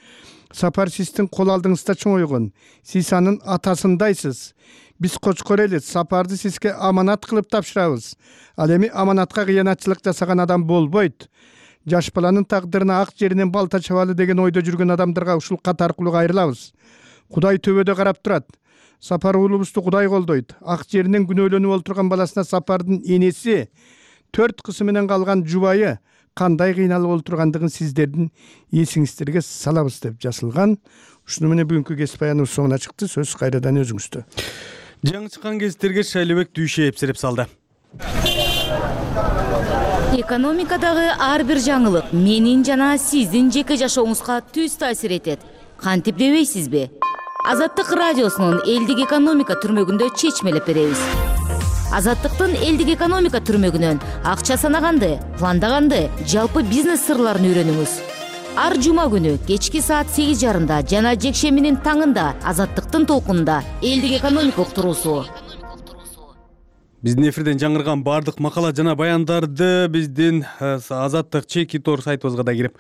S23: Сапар сиздин кол алдыңызда чоңойгон, сиз анын атасындайсыз. Биз Кочкор эли Сапарды сизге аманат кылып тапшырабыз. Ал эми аманатка кыянатчылык жасаган адам болбойт. Жаш баланын тагдырына ак жеринен балта чабалы деген ойдо жүргөн адамдарга ушул кат аркылуу кайрылабыз. Кудай төбөдө карап турат. Сапар уулубузду Кудай колдойт. Ак жеринен күнөөлөнүп олтурган баласына Сапардын энеси, төрт кызы менен калган жубайы кандай кыйналып олтургандыгын сиздердин эсиңиздерге салабыз деп жазылган. Ушуну менен бүгүнкү кесип баяныбыз соңуна чыкты. Сөз кайрадан өзүңүздө.
S1: Жаңы чыккан гезиттерге Шайлыбек Дүйшеев сереп салды.
S24: Экономикадагы ар бир жаңылык менин жана сиздин жеке жашооңузга түз таасир этет. Кантип дебейсизби? Азаттык радиосунун элдик экономика түрмөгүндө чечмелеп беребиз. Азаттыктын элдик экономика түрмөгүнөн акча санаганды, пландаганды, жалпы бизнес сырларын үйрөнүңүз. Ар жума күнү кечки саат сегиз жарымда жана жекшембинин таңында Азаттыктын толкунунда элдик экономика уктуруусу.
S1: Биздин эфирден жаңырган баардык макала жана баяндарды биздин Азаттык чеки тор сайтыбызга да кирип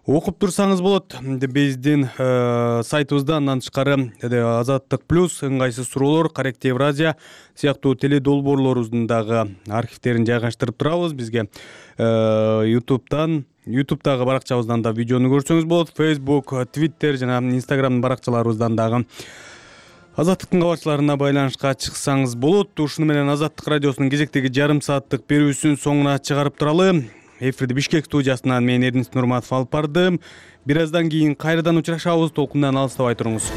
S1: окуп турсаңыз болот. Биздин сайтыбызда андан тышкары Азаттык плюс, ыңгайсыз суроолор, Корректив Евразия сыяктуу теле долбоорлорубуздун дагы архивтерин жайгаштырып турабыз. Бизге YouTube'дан YouTube'дагы баракчабыздан да видеону көрсөңүз болот. Facebook, Twitter жана Instagram баракчаларыбыздан дагы Азаттыктын кабарчыларына байланышка чыксаңыз болот. Ушуну менен Азаттык радиосунун кезектеги жарым сааттык берүүсүн соңуна чыгарып туралы. Эфирди Бишкек студиясынан мен Эрдинис Нурматов алып бардым. Бир аздан кийин кайрадан учурашабыз. Толкундан алыстабай туруңуз.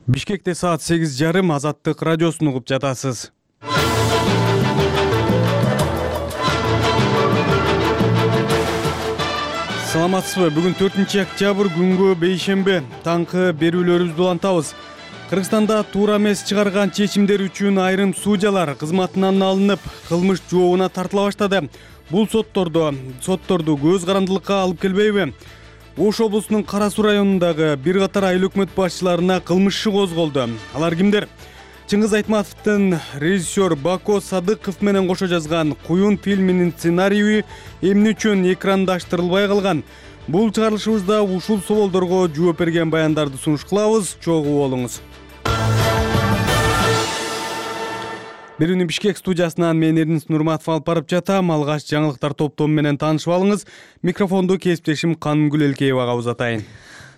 S1: Бишкекте саат сегиз жарым, Азаттык радиосун угуп жатасыз. Саламатсызбы? Бүгүн төртүнчү октябрь күнгө бейшемби. Таңкы берүүлөрүбүздү улантабыз. Кыргызстанда туура эмес чыгарган чечимдер үчүн айрым судьялар кызматынан алынып, кылмыш жообуна тартыла баштады. Бул соттордо сотторду көз карандылыкка алып келбейби? Ош облусунун Кара Суу районундагы бир катар айыл өкмөт башчыларына кылмыш иши козголду. Алар кимдер? Чыңгыз Айтматовдун режиссер Бако Садыков менен кошо жазган Куюн фильминин сценарийи эмне үчүн экрандаштырылбай калган? Бул чыгарылышыбызда ушул соолдорго жооп берген баяндарды сунуш кылабыз. Чогуу болуңуз. Берүүнү Бишкек студиясынан мен Эрдинис Нурматов алып барып жатам. Алгач жаңылыктар топтому менен таанышып алыңыз. Микрофонду кесиптешим Канымгүл Элкеевага узатайын.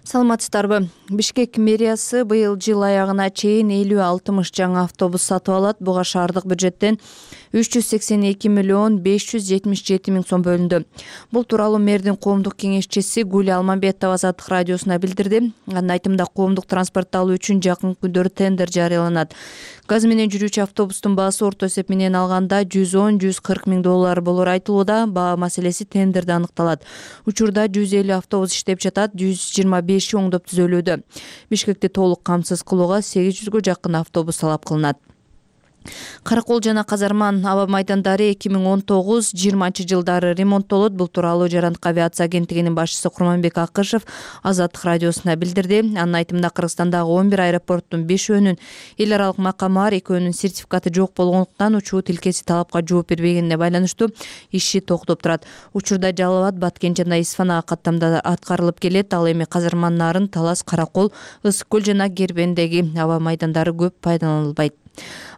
S2: Саламатсыздарбы? Бишкек мэриясы быйыл жыл аягына чейин элүү алтымыш жаңы автобус сатып алат. Буга шаардык бюджеттен үч жүз сексен эки миллион беш жүз жетимиш жети миң сом бөлүндү. Бул тууралуу мэрдин коомдук кеңешчиси Гүлия Алмамбетова Азаттык радиосуна билдирди. Анын айтымында коомдук транспортты алуу үчүн жакын күндөрү тендер жарыяланат. Газ менен жүрүүчү автобустун баасы орто эсеп менен алганда жүз он жүз кырк миң доллар болор айтылууда. Баа маселеси тендерде аныкталат. Учурда жүз элүү автобус иштеп жатат, жүз жыйырма беши оңдоп түзөлүүдө. Бишкекти толук камсыз кылууга сегиз жүзгө жакын автобус талап кылынат. Каракол жана Казарман аба майдандары эки миң он тогуз жыйырманчы жылдары ремонттолот. Бул тууралуу Жарандык авиация агенттигинин башчысы Курманбек Акышев Азаттык радиосуна билдирди. Анын айтымында Кыргызстандагы он бир аэропорттун бешөөнүн эл аралык макамы бар, экөөнүн сертификаты жок болгондуктан учуу тилкеси талапка жооп бербегенине байланыштуу иши токтоп турат. Учурда Жалал Абад, Баткен жана Исфанага каттамда аткарылып келет. Ал эми Казарман, Нарын, Талас, Каракол, Ысык көл жана Кербендеги аба майдандары көп пайдаланылбайт.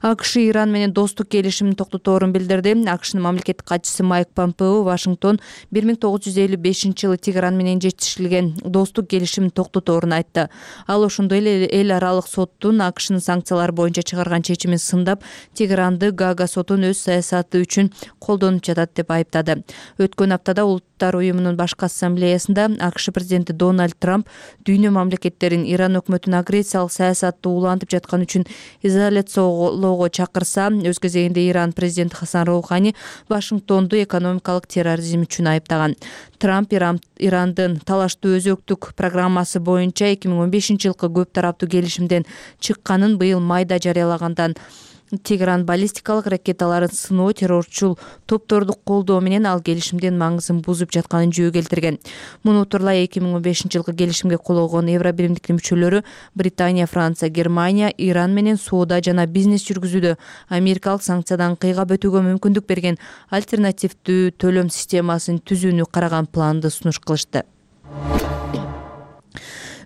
S2: АКШ Иран менен достук келишимин токтоторун билдирди. АКШнын мамлекеттик катчысы Майк Помпео Вашингтон бир миң тогуз жүз элүү бешинчи жылы Тегеран менен жетишилген достук келишимин токтоторун айтты. Ал ошондой эле эл аралык соттун АКШнын санкциялар боюнча чыгарган чечимин сындап, Тегеранды Гага сотун өз саясаты үчүн колдонуп жатат деп айыптады. Өткөн аптада Улуттар уюмунун башкы ассамблеясында АКШ президенти Дональд Трамп дүйнө мамлекеттерин Иран өкмөтүнүн агрессиялык саясатты улантып жаткан үчүн изоляциялоо чакырса, өз кезегинде Иран президенти Хасан Роухани Вашингтонду экономикалык терроризм үчүн айыптаган. Трамп Иран, Ирандын талаштуу өзөктүк программасы боюнча эки миң он бешинчи жылкы көп тараптуу келишимден чыкканын быйыл майда жарыялагандан Тегеран баллистикалык ракеталарын сыноо, террорчул топторду колдоо менен ал келишимдин маңызын бузуп жатканын жөө келтирген. Муну утурлай эки миң он бешинчи жылкы келишимге кол койгон Евро биримдиктин мүчөлөрү Британия, Франция, Германия Иран менен соода жана бизнес жүргүзүүдө америкалык санкциядан кыйгап өтүүгө мүмкүндүк берген альтернативдүү төлөм системасын түзүүнү караган планды сунуш кылышты.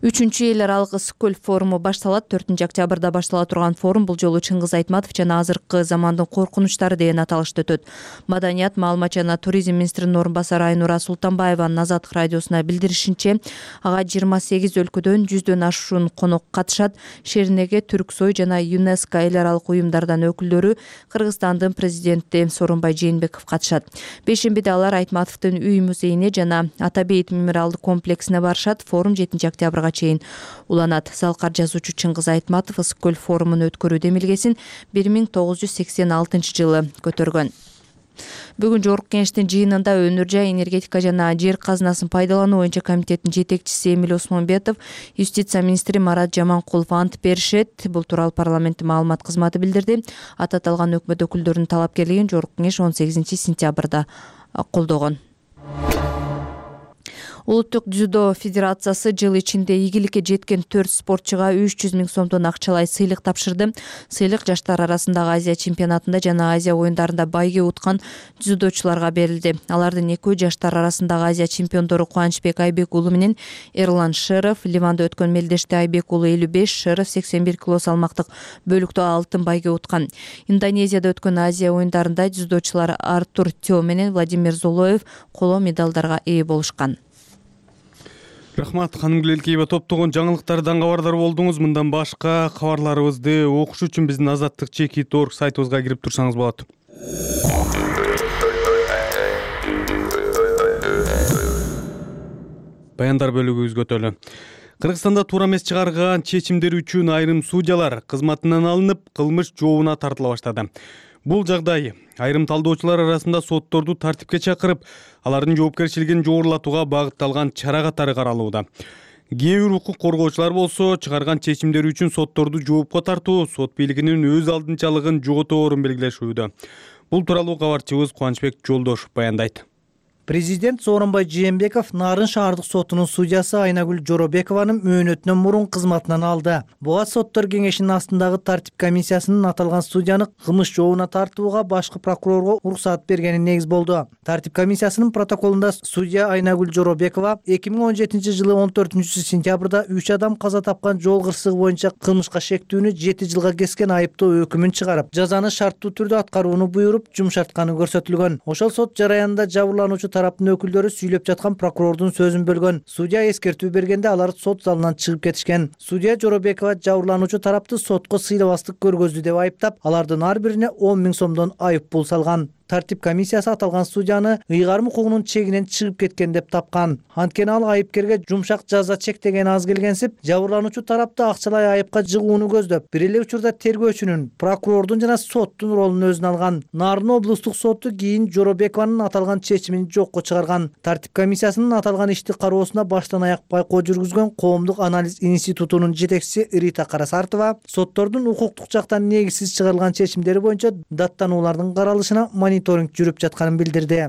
S2: Үчүнчү эл аралык ысык көл форуму башталат. төртүнчү октябрда баштала турган форум бул жолу Чыңгыз Айтматов жана азыркы замандын коркунучтары деген аталышта өтөт. Маданият, маалымат жана туризм министринин орун басары Айнура Султанбаеванын Азаттык радиосуна билдиришинче, ага жыйырма сегиз өлкөдөн жүздөн ашуун конок катышат. Шеринеге, Түрксой жана ЮНЕСКО эл аралык уюмдардан өкүлдөрү, Кыргызстандын президенти Сооронбай Жээнбеков катышат. Бешембиде алар Айтматовдун үй музейине жана Атабейит мемориалдык комплексине барышат. Форум жетинчи октябрга чейин уланат. Залкар жазуучу Чыңгыз Айтматов ысык көл форумун өткөрүү демилгесин бир миң тогуз жүз сексен алтынчы жылы көтөргөн. Бүгүн жогорку кеңештин жыйынында өнөр жай, энергетика жана жер казынасын пайдалануу боюнча комитеттин жетекчиси Эмиль Осмонбетов, юстиция министри Марат Жаманкулов ант беришет. Бул тууралуу парламенттин маалымат кызматы билдирди. Аты аталган өкмөт өкүлдөрүнүн талапкерлигин жогорку кеңеш он сегизинчи сентябрда колдогон. Улуттук дзюдо федерациясы жыл ичинде ийгиликке жеткен төрт спортчуга үч жүз миң сомдон акчалай сыйлык тапшырды. Сыйлык жаштар арасындагы Азия чемпионатында жана Азия оюндарында байге уткан дзюдочуларга берилди. Алардын экөө жаштар арасындагы Азия чемпиондору Кубанычбек Айбек уулу менен Эрлан Шеров. Ливанда өткөн мелдеште Айбек уулу элүү беш, Шеров сексен бир кило салмактык бөлүктө алтын байге уткан. Индонезияда өткөн Азия оюндарында дзюдочулар Артур Тё менен Владимир Золоев коло медалдарга ээ болушкан.
S1: Рахмат, ханым Гүлелкеева. Топтогон жаңылыктардан кабардар болдуңуз. Мындан башка кабарларыбызды окуш үчүн биздин азаттык чекит точка орг сайтыбызга кирип турсаңыз болот. Баяндар бөлүгүбүзгө өтөлү. Кыргызстанда туура эмес чыгарган чечимдер үчүн айрым судьялар кызматынан алынып, кылмыш жообуна тартыла баштады. Бул жагдай айрым талдоочулар арасында сотторду тартипке чакырып, алардын жоопкерчилигин жогорулатууга багытталган чара катары каралууда. Кээ бир укук коргоочулар болсо чыгарган чечимдери үчүн сотторду жоопко тартуу сот бийлигинин өз алдынчалыгын жоготорун белгилешүүдө. Бул тууралуу кабарчыбыз Кубанычбек Жолдошов баяндайт.
S4: Президент Сооронбай Жээнбеков Нарын шаардык сотунун судьясы Айнагүл Жоробекованын мөөнөтүнөн мурун кызматынан алды. Буга соттор кеңешинин астындагы тартип комиссиясынын аталган судьяны кылмыш жообуна тартууга башкы прокурорго уруксат бергени негиз болду. Тартип комиссиясынын протоколунда судья Айнагүл Жоробекова эки миң он жетинчи жылы он төртүнчү сентябрда үч адам каза тапкан жол кырсыгы боюнча кылмышка шектүүнү жети жылга кескен айыптоо өкүмүн чыгарып, жазаны шарттуу түрдө аткарууну буйруп, жумшартканы көрсөтүлгөн. Ошол сот жараянында жабырлануучу тараптын өкүлдөрү сүйлөп жаткан прокурордун сөзүн бөлгөн. Судья эскертүү бергенде алар сот залынан чыгып кетишкен. Судья Жоробекова жабырлануучу тарапты сотко сыйлабастык көргөздү деп айыптап, алардын ар бирине он миң сомдон айып пул салган. Тартип комиссиясы аталган судьяны ыйгарым укугунун чегинен чыгып кеткен деп тапкан. Анткени ал айыпкерге жумшак жаза чектеген аз келгенсип, жабырлануучу тарапты акчалай айыпка жыгууну көздөп, бир эле учурда тергөөчүнүн, прокурордун жана соттун ролун өзүнө алган. Нарын облустук соту кийин Жоробекованын аталган чечимин жокко чыгарган. Тартип комиссиясынын аталган ишти кароосуна баштан аяк байкоо жүргүзгөн Коомдук анализ институтунун жетекчиси Рита Карасартова соттордун укуктук жактан негизсиз чыгарылган чечимдери боюнча даттануулардын каралышына мониторинг жүрүп жатканын билдирди.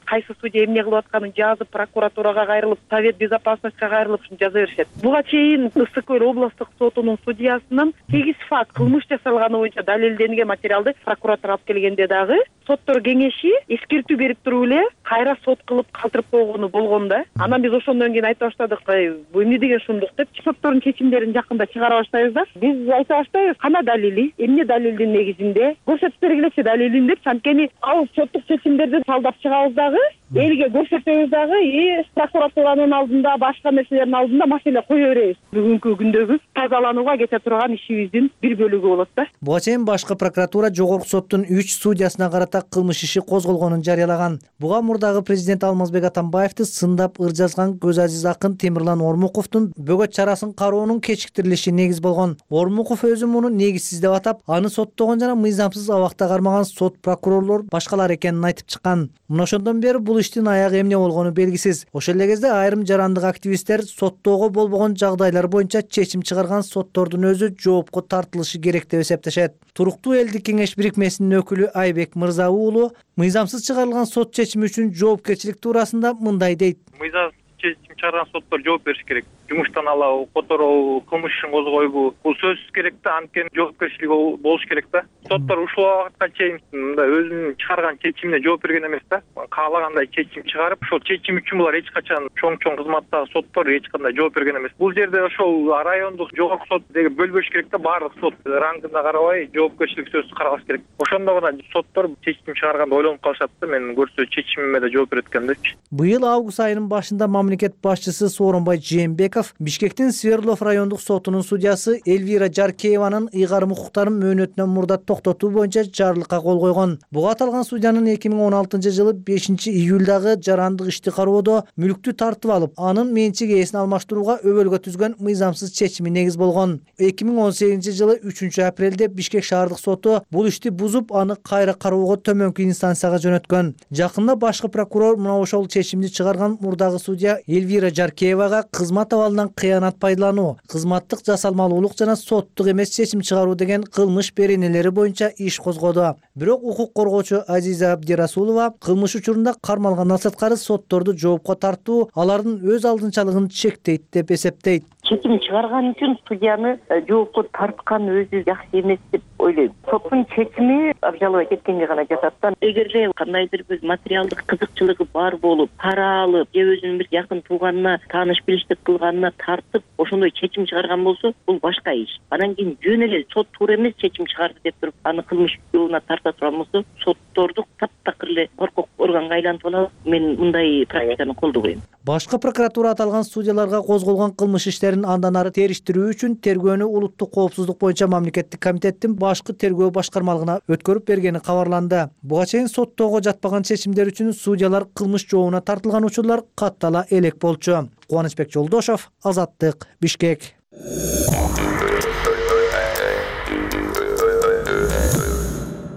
S10: Кайсы судья эмне кылып атканын жазып, прокуратурага кайрылып, Совет безопасностька кайрылып жаза беришет. Буга чейин Ысык Көл облустук сотунун судьясынын сегиз факт кылмыш жасалганы боюнча далилденген материалды прокуратура алып келгенде дагы соттор кеңеши эскертүү берип туруп эле кайра сот кылып калтырып койгону болгон да. Анан биз ошондон кийин айта баштадык, бул эмне деген шумдук деп, соттордун чечимдерин жакында чыгара баштайбыз да. Биз айта баштайбыз, кана далили, эмне далилдин негизинде көрсөтүп бергилечи далилин деп, анткени ал соттук чечимдерди талдап чыгабыз дагы, элге көрсөтөбүз дагы, и прокуратуранын алдында, башка нерселердин алдында маселе кое беребиз. Бүгүнкү күндөгү тазаланууга кете турган ишибиздин бир бөлүгү болот да.
S4: Буга чейин башкы прокуратура жогорку соттун үч судьясына карата кылмыш иши козголгонун жарыялаган. Буга мурдагы президент Алмазбек Атамбаевди сындап ыр жазган көз азиз акын Темирлан Ормуковдун бөгөт чарасын кароонун кечиктирилиши негиз болгон. Ормуков өзү муну негизсиз деп атап, аны соттогон жана мыйзамсыз абакта кармаган сот прокурорлор башкалар экенин айтып чыккан. Мына ошондон бери бул иштин аягы эмне болгону белгисиз. Ошол эле кезде айрым жарандык активисттер соттоого болбогон жагдайлар боюнча чечим чыгарган соттордун өзү жоопко тартылышы керек деп эсептешет. Туруктуу элдик кеңеш бирикмесинин өкүлү Айбек Мырза уулу мыйзамсыз чыгарылган сот чечими үчүн жоопкерчилик туурасында мындай дейт.
S5: Мыйзамсыз чечим чыгарган соттор жооп бериш керек. Жумуштан алабы, которобу, кылмыш ишин козгойбу, бул сөзсүз керек да, анткени жоопкерчилиги болуш керек да. Соттор ушул убакытка чейин мындай өзүнүн чыгарган чечимине жооп берген эмес да. Каалагандай чечим чыгарып, ошол чечим үчүн булар эч качан чоң-чоң кызматтагы соттор эч кандай жооп берген эмес. Бул жерде ошол райондук жогорку сот деген бөлбөш керек да, баардык сот рангына карабай жоопкерчилик сөзсүз каралыш керек. Ошондо гана соттор чечим чыгарганда ойлонуп калышат да, мен көрсө чечимиме да жооп берет экен депчи.
S4: Быйыл август айынын башында мамлекет башчысы Сооронбай Жээнбеков Бишкектин Свердлов райондук сотунун судьясы Эльвира Жаркееванын ыйгарым укуктарын мөөнөтүнөн мурда токтотуу боюнча жарлыкка кол койгон. Буга аталган судьянын эки миң он алтынчы жылы бешинчи июлдагы жарандык ишти кароодо мүлктү тартып алып, анын менчик ээсин алмаштырууга өбөлгө түзгөн мыйзамсыз чечими негиз болгон. эки миң он сегизинчи жылы үчүнчү апрелде Бишкек шаардык соту бул ишти бузуп, аны кайра кароого төмөнкү инстанцияга жөнөткөн. Жакында башкы прокурор мына ошол чечимди чыгарган мурдагы судья Эльвира Жаркеевага кызмат абалынан кыянат пайдалануу, кызматтык жасалмалуулук жана соттук эмес чечим чыгаруу деген кылмыш беренелери боюнча иш козгоду. Бирок укук коргоочу Азиза Абдирасулова кылмыш учурунда кармалгандан сырткары сотторду жоопко тартуу алардын өз алдынчалыгын чектейт деп эсептейт.
S6: Чечим чыгарган үчүн судьяны жоопко тарткан өзү жакшы эмес деп ойлойм. Соттун чечими обжаловать эткенге гана жатат да. Эгерде кандайдыр бир материалдык кызыкчылыгы бар болуп, пара алып, же өзүнүн бир жакын тууганына тааныш билиштик кылганына тартып, ошондой чечим чыгарган болсо, бул башка иш. Анан кийин жөн эле сот туура эмес чечим чыгарды деп туруп, аны кылмыш жолуна тарта турган болсо, сотторду таптакыр эле коркок органга айлантып алат. Мен мындай практиканы колдобойм.
S4: Башкы прокуратура аталган судьяларга козголгон кылмыш иштерин андан ары териштирүү үчүн тергөөнү улуттук коопсуздук боюнча мамлекеттик комитеттин башкы тергөө башкармалыгына өткөрүп бергени кабарланды. Буга чейин соттоого жатпаган чечимдер үчүн судьялар кылмыш жообуна тартылган учурлар каттала элек болчу. Кубанычбек Жолдошов, Азаттык, Бишкек.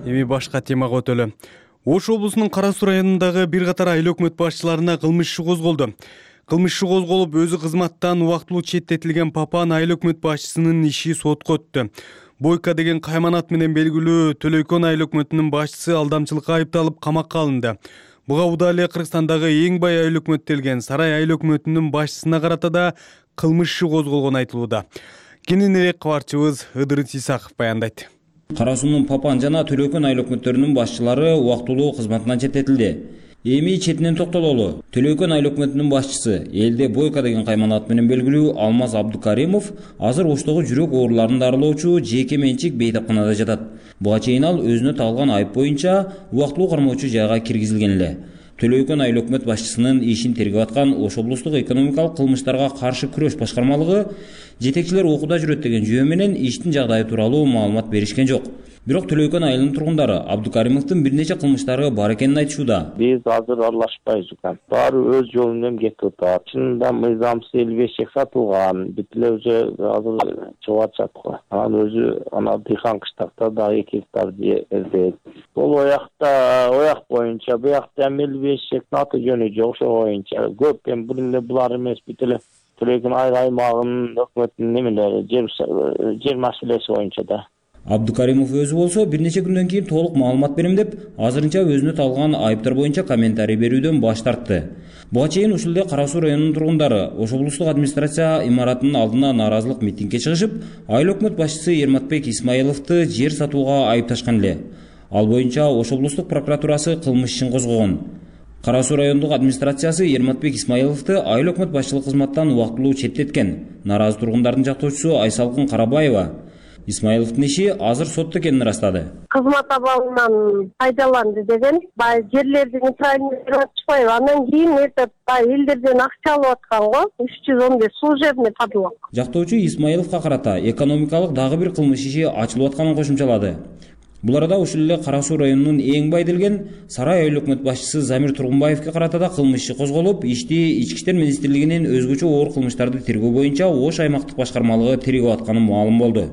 S1: Эми башка темага өтөлү. Ош облусунун Кара Суу районундагы бир катар айыл өкмөт башчыларына кылмыш иши козголду. Кылмыш иши козголуп, өзү кызматтан убактылуу четтетилген Папан айыл өкмөт башчысынын иши сотко өттү. Бойка деген кайманат менен белгилүү Төлөйкөн айыл өкмөтүнүн башчысы алдамчылыкка айыпталып камакка алынды. Буга удаа эле Кыргызстандагы эң бай айыл өкмөт делген Сарай айыл өкмөтүнүн башчысына карата да кылмыш иши козголгон айтылууда. Кененирээк кабарчыбыз Ыдырыс Исаков баяндайт.
S7: Кара Суунун Папан жана Төлөйкөн айыл өкмөттөрүнүн башчылары убактылуу кызматынан четтетилди. Эми четинен токтололу. Төлөйкөн айыл өкмөтүнүн башчысы, элде Бойка деген кайманат менен белгилүү Алмаз Абдукаримов азыр Оштогу жүрөк ооруларын дарылоочу жеке менчик бейтапканада жатат. Буга чейин ал өзүнө тагылган айып боюнча убактылуу кармоочу жайга киргизилген эле. Төлөйкөн айыл өкмөт башчысынын ишин тергеп аткан Ош облустук экономикалык кылмыштарга каршы күрөш башкармалыгы жетекчилер окууда жүрөт деген жөө менен иштин жагдайы тууралуу маалымат беришкен жок. Бирок Төлөйкөн айылынын тургундары Абдукаримовдун бир нече кылмыштары бар экенин айтышууда.
S8: Биз азыр аралашпайбыз. Баары өз жолу менен кетип атат. Чынында мыйзамсыз элүү беш чек сатылган. Бүт эле уже азыр чыгып атышат го. Анан өзү ана дыйкан кыштакта да эки гектар жерде. Бул оякта ояк боюнча, буякта эми элүү беш чектин аты жөнү жок, ошо боюнча көп эми бул эле булар эмес, бүт эле Төлөйкөн айыл аймагынын өкмөтүнүн немелери, жер жер маселеси боюнча да.
S7: Абдукаримов өзү болсо бир нече күндөн кийин толук маалымат берем деп, азырынча өзүнө тагылган айыптар боюнча комментарий берүүдөн баш тартты. Буга чейин ушул эле Кара Суу районунун тургундары Ош облустук администрация имаратынын алдына нааразылык митингге чыгышып, айыл өкмөт башчысы Ерматбек Исмаиловду жер сатууга айыпташкан эле. Ал боюнча Ош облустук прокуратурасы кылмыш ишин козгогон. Кара Суу райондук администрациясы Ерматбек Исмаиловду айыл өкмөт башчылык кызматтан убактылуу четтеткен. Нааразы тургундардын жактоочусу Айсалкын Карабаева Исмаиловдун иши азыр сотто экенин ырастады.
S9: Кызмат абалынан пайдаланды деген, бай жерлерди неправильно берип атышпайбы. Андан кийин этот бай элдерден акча алып аткан го, үч жүз он беш служебный подлог.
S7: Жактоочу Исмаиловго карата экономикалык дагы бир кылмыш иши ачылып атканын кошумчалады. Бул арада ушул эле Кара Суу районунун эң бай делген Сарай айыл өкмөт башчысы Замир Тургунбаевге карата да кылмыш иши козголуп, ишти Ички иштер министрлигинин өзгөчө оор кылмыштарды тергөө боюнча Ош аймактык башкармалыгы тергеп атканы маалым болду.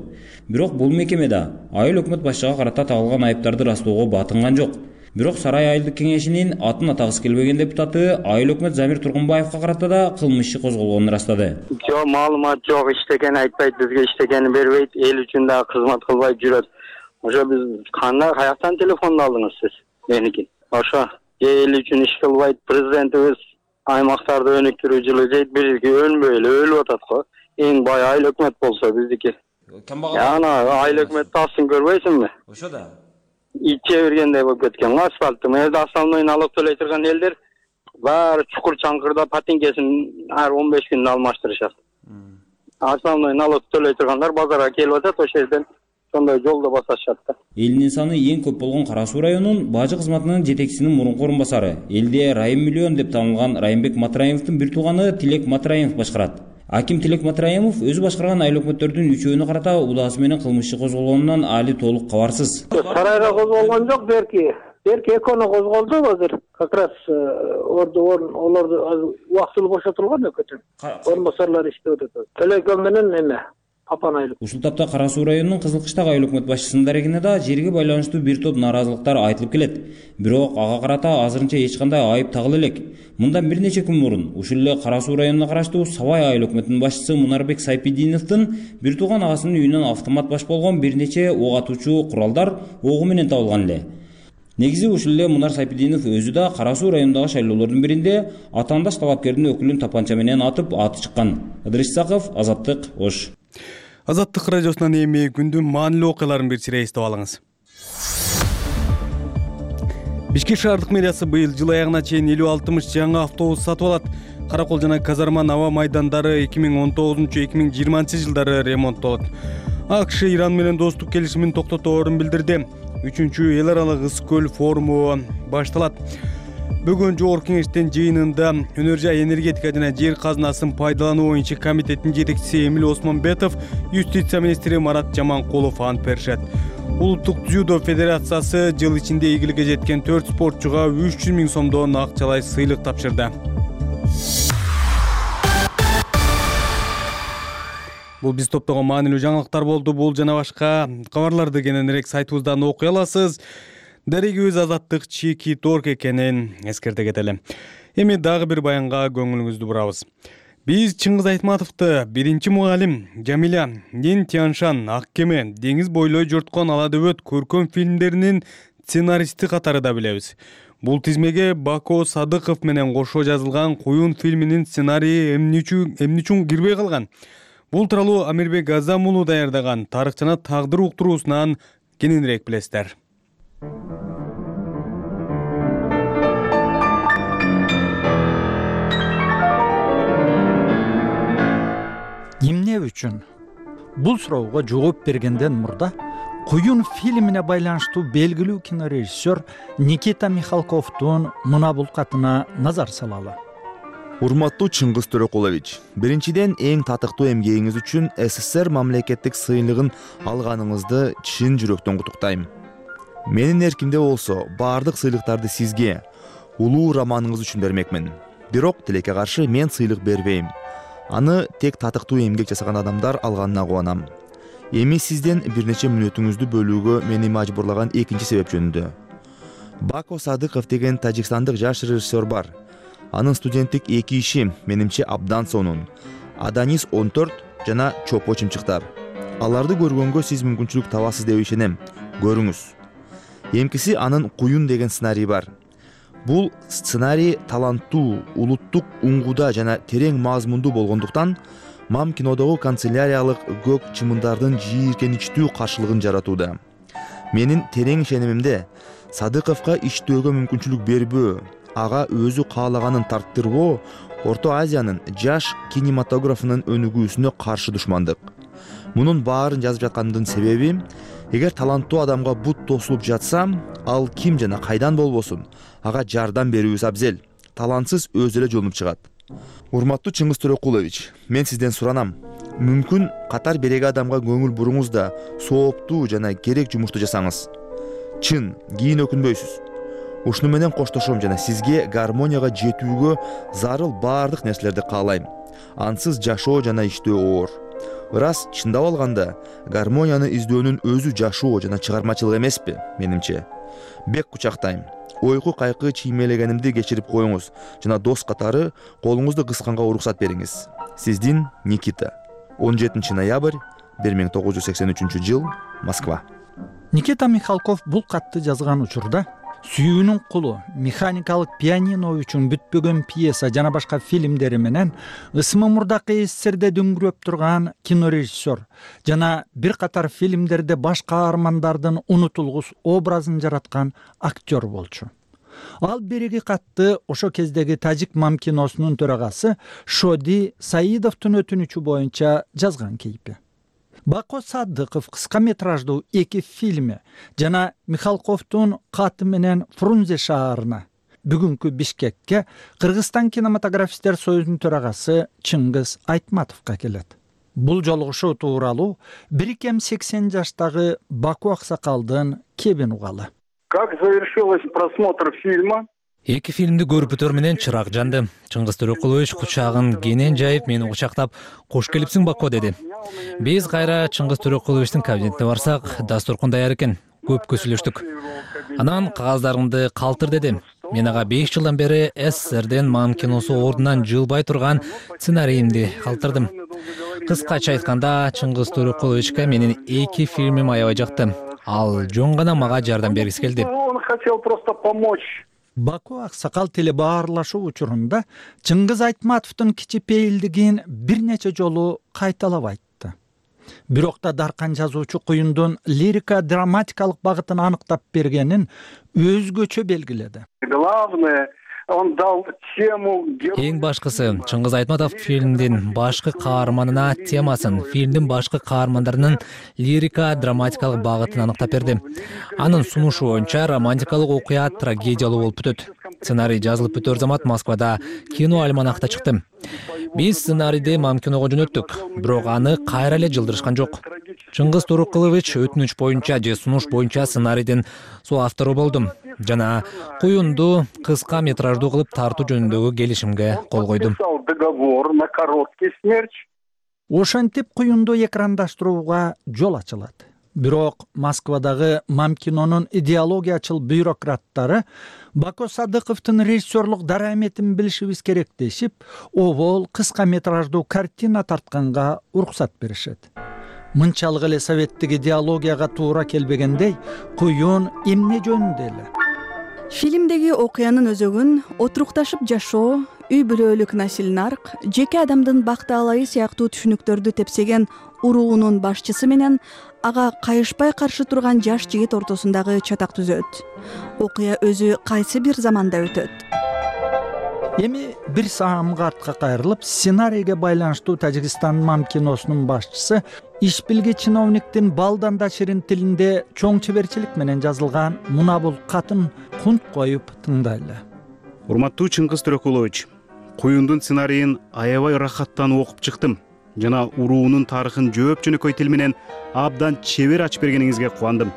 S7: Бирок бул мекемеде айыл өкмөт башчыга карата тагылган айыптарды растоого батынган жок. Бирок Сарай айылдык кеңешинин атын атагысы келбеген депутаты айыл өкмөт Замир Тургунбаевга карата да кылмыш иши козголгонун ырастады.
S8: Жок, маалымат жок, иштекени айтпайт, бизге иштекени бербейт, эл үчүн дагы кызмат кылбай жүрөт. Ошо биз кандай каяктан телефонду алдыңыз сиз? Меники. Ошо эл үчүн иш кылбайт, президентибиз аймактарды өнүктүрүү жылы дейт, бизге өлбөй эле өлүп атат го. Эң бай айыл өкмөт болсо биздики. Ана айыл өкмөт тасын көрбөйсүңбү?
S7: Ошо да.
S8: Иче бергендей болуп кеткен. Асфальтты мында основной налог төлөй турган элдер баары чукур чаңкырда патинкесин ар он беш күндө алмаштырышат. Основной налог төлөй тургандар базарга келип атат, ошол жерден
S3: ошондой жолдо басышат да.
S7: Элдин саны эң көп болгон Кара Суу районунун бажы кызматынын жетекчисинин мурунку орун басары, элде Райым миллион деп танылган Райымбек Матраимовдун бир тууганы Тилек Матраимов башкарат. Аким Тилек Матраимов өзү башкарган айыл өкмөттөрдүн үчөөүнө карата удаасы менен кылмыш иши козголгонунан али толук кабарсыз.
S3: Сарайга козголгон жок, берки берки экөөнө козголду азыр. Как раз орду олорду убактылуу бошотулган экөөтөн. Орун басарлар иштеп атат. Телеком менен эме Папан айыл.
S7: Ушул тапта Кара Суу районунун Кызылкыштагы айыл өкмөт башчысынын дарегине да жерге байланыштуу бир топ нааразылыктар айтылып келет. Бирок ага карата азырынча эч кандай айып тагыла элек. Мындан бир нече күн мурун ушул эле Кара Суу районуна караштуу Сабай айыл өкмөтүнүн башчысы Мунарбек Сайпидиновдун бир тууган агасынын үйүнөн автомат баш болгон бир нече ок атуучу куралдар огу менен табылган эле. Негизи ушул эле Мунар Сайпидинов өзү да Кара Суу районундагы шайлоолордун биринде атаандаш талапкердин өкүлүн тапанча менен атып аты чыккан. Ыдырыс Исаков, Азаттык, Ош.
S1: Азаттык радиосунан эми күндүн маанилүү окуяларын бир сире эстеп алыңыз. Бишкек шаардык мэриясы быйыл жыл аягына чейин элүү алтымыш жаңы автобус сатып алат. Каракол жана Казарман аба майдандары эки миң он тогузунчу эки миң жыйырманчы жылдары ремонттолот. АКШ Иран менен достук келишимин токтоторун билдирди. Үчүнчү эл аралык ыс көл форуму башталат. Бүгүн жогорку кеңештин жыйынында өнөр жай энергетика жана жер казынасын пайдалануу боюнча комитеттин жетекчиси Эмил Осмонбетов, юстиция министри Марат Жаманкулов ант беришет. Улуттук дзюдо федерациясы жыл ичинде ийгиликке жеткен төрт спортчуга үч жүз миң сомдон акчалай сыйлык тапшырды. Бул биз топтогон маанилүү жаңылыктар болду. Бул жана башка кабарларды кененирээк сайтыбыздан окуй аласыз. Дарегибиз Азаттык Чики Торг экенин эскерте кетели. Эми дагы бир баянга көңүлүңүздү бурабыз. Биз Чыңгыз Айтматовду биринчи мугалим, Жамиля, Нин Тяншан, Ак кеме, Деңиз бойлой жорткон ала дөбөт көркөм фильмдеринин сценаристи катарында билебиз. Бул тизмеге Бако Садыков менен кошо жазылган Куюн фильминин сценарийи эмне үчүн кирбей калган? Бул тууралуу Амирбек Азам уулу даярдаган тарых жана тагдыр уктуруусунан кененирээк билесиздер.
S11: Эмне үчүн? Бул суроого жооп бергенден мурда Куюн фильмине байланыштуу белгилүү кинорежиссер Никита Михалковдун мына бул катына назар салалы.
S12: Урматтуу Чыңгыз Төрөкулович, биринчиден эң татыктуу эмгегиңиз үчүн СССР мамлекеттик сыйлыгын алганыңызды чын жүрөктөн куттуктайм. Менин эркимде болсо, баардык сыйлыктарды сизге, улуу романыңыз үчүн бермекмин. Бирок тилекке каршы мен сыйлык бербейм. Аны тек татыктуу эмгек жасаган адамдар алганына кубанам. Эми сизден бир нече мүнөтүңүздү бөлүүгө мени мажбурлаган экинчи себеп жөнүндө. Бако Садыков деген тажикстандык жаш режиссер бар. Анын студенттик эки иши менимче абдан сонун. Аданис он төрт жана Чопо чымчыктар. Аларды көргөнгө сиз мүмкүнчүлүк табасыз деп ишенем. Көрүңүз. Эмкиси анын Куюн деген сценарий бар. Бул сценарий таланттуу, улуттук уңгуда жана терең мазмундуу болгондуктан Мам кинодогу канцеляриялык көк чымындардын жийиркеничтүү каршылыгын жаратууда. Менин терең ишенимимде Садыковго иштөөгө мүмкүнчүлүк бербөө, ага өзү каалаганын тарттырбоо Орто Азиянын жаш кинематографынын өнүгүүсүнө каршы душмандык. Мунун баарын жазып жаткандын себеби, эгер таланттуу адамга бут тосулуп жатса, ал ким жана кайдан болбосун, ага жардам берүүбүз абзел. Талантсыз өзү эле жолунуп чыгат. Урматтуу Чыңгыз Төрөкулович, мен сизден суранам. Мүмкүн катар береги адамга көңүл буруңуз да сооптуу жана керек жумушту жасаңыз. Чын, кийин өкүнбөйсүз. Ушуну менен коштошом жана сизге гармонияга жетүүгө зарыл баардык нерселерди каалайм. Ансыз жашоо жана иштөө оор. Ырас чындап алганда, гармонияны издөөнүн өзү жашоо жана чыгармачылык эмеспи, менимче. Бек кучактайм. Ойку кайкы чиймелегенимди кечирип коюңуз жана дос катары колуңузду кысканга уруксат бериңиз. Сиздин Никита. он жетинчи ноябрь бир миң тогуз жүз сексен үчүнчү жыл, Москва.
S11: Никита Михалков бул катты жазган учурда Сүйүүнүн кулу, Механикалык пианино үчүн бүтпөгөн пьеса жана башка фильмдери менен ысмы мурдакы СССРде дүңгүрөп турган кинорежиссер жана бир катар фильмдерде баш каармандардын унутулгус образын жараткан актер болчу. Ал береги катты ошо кездеги Тажик Мам киносунун төрагасы Шоди Саидовдун өтүнүчү боюнча жазган кейпи. Бако Садыков кыска метраждуу эки фильми жана Михалковдун каты менен Фрунзе шаарына, бүгүнкү Бишкекке Кыргызстан кинематографисттер союзунун төрагасы Чыңгыз Айтматовго келет. Бул жолугушуу тууралуу бир кем сексен жаштагы Баку аксакалдын кебин угалы.
S13: Как завершилась просмотр фильма?
S15: Эки фильмди көрүп менен чырак жанды. Чыңгыз Төрөкулович кучагын кенен жайып мени кучактап, "Кош келипсиң, Бако" деди. Биз кайра Чыңгыз Төрөкуловичтин кабинетине барсак, дастуркун даяр экен. Көп көсүлөштүк. Анан кагаздарыңды калтыр деди. Мен ага беш жылдан бери СССРден мам киносу ордунан жылбай турган сценарийимди калтырдым. Кыскача айтканда, Чыңгыз Төрөкуловичке менин эки фильмим аябай жакты. Ал жөн гана мага жардам бергиси келди.
S13: Он хотел просто помочь.
S11: Баку аксакал телебаарлашуу учурунда Чыңгыз Айтматовдун кичипейилдигин бир нече жолу кайталап айтты. Бирок да даркан жазуучу куюндун лирика драматикалык багытын аныктап бергенин өзгөчө белгиледи.
S13: Главное, он дал тему.
S15: Эң башкысы, Чыңгыз Айтматов фильмдин башкы каарманына темасын, фильмдин башкы каармандарынын лирика драматикалык багытын аныктап берди. Анын сунушу боюнча романтикалык окуя трагедиялуу болуп бүтөт. Сценарий жазылып бүтөр замат Москвада кино альманахта чыкты. Биз сценарийди мам киного жөнөттүк, бирок аны кайра эле жылдырышкан жок. Чыңгыз Төрөкулович өтүнүч боюнча же сунуш боюнча сценарийдин соавтору болдум жана куюнду кыска метраждуу кылып тартуу жөнүндөгү келишимге кол койдум.
S13: Договор на короткий смерч.
S11: Ошентип куюнду экрандаштырууга жол ачылат. Бирок Москвадагы мам кинонун идеологиячыл бюрократтары Бако Садыковдун режиссерлук дараметин билишибиз керек дешип, обол кыска метраждуу картина тартканга уруксат беришет. Мынчалык эле советтик идеологияга туура келбегендей, куюн эмне жөнүндө эле?
S17: Фильмдеги окуянын өзөгүн отурукташып жашоо, үй бүлөлүк насил нарк, жеке адамдын бактаалайы сыяктуу түшүнүктөрдү тепсеген уруунун башчысы менен ага кайышпай каршы турган жаш жигит ортосундагы чатак түзөт. Окуя өзү кайсы бир заманда өтөт.
S11: Эми бир саамга артка кайрылып, сценарийге байланыштуу Тажикстан мам киносунун башчысы иш билги чиновниктин балдан да ширин тилинде чоң чеберчилик менен жазылган мына бул катын кунт коюп тыңдайлы.
S18: Урматтуу Чыңгыз Төрөкулович, куюндун сценарийин аябай ырахаттанып окуп чыктым жана уруунун тарыхын жөөп жөнөкөй тил менен абдан чебер ачып бергениңизге кубандым.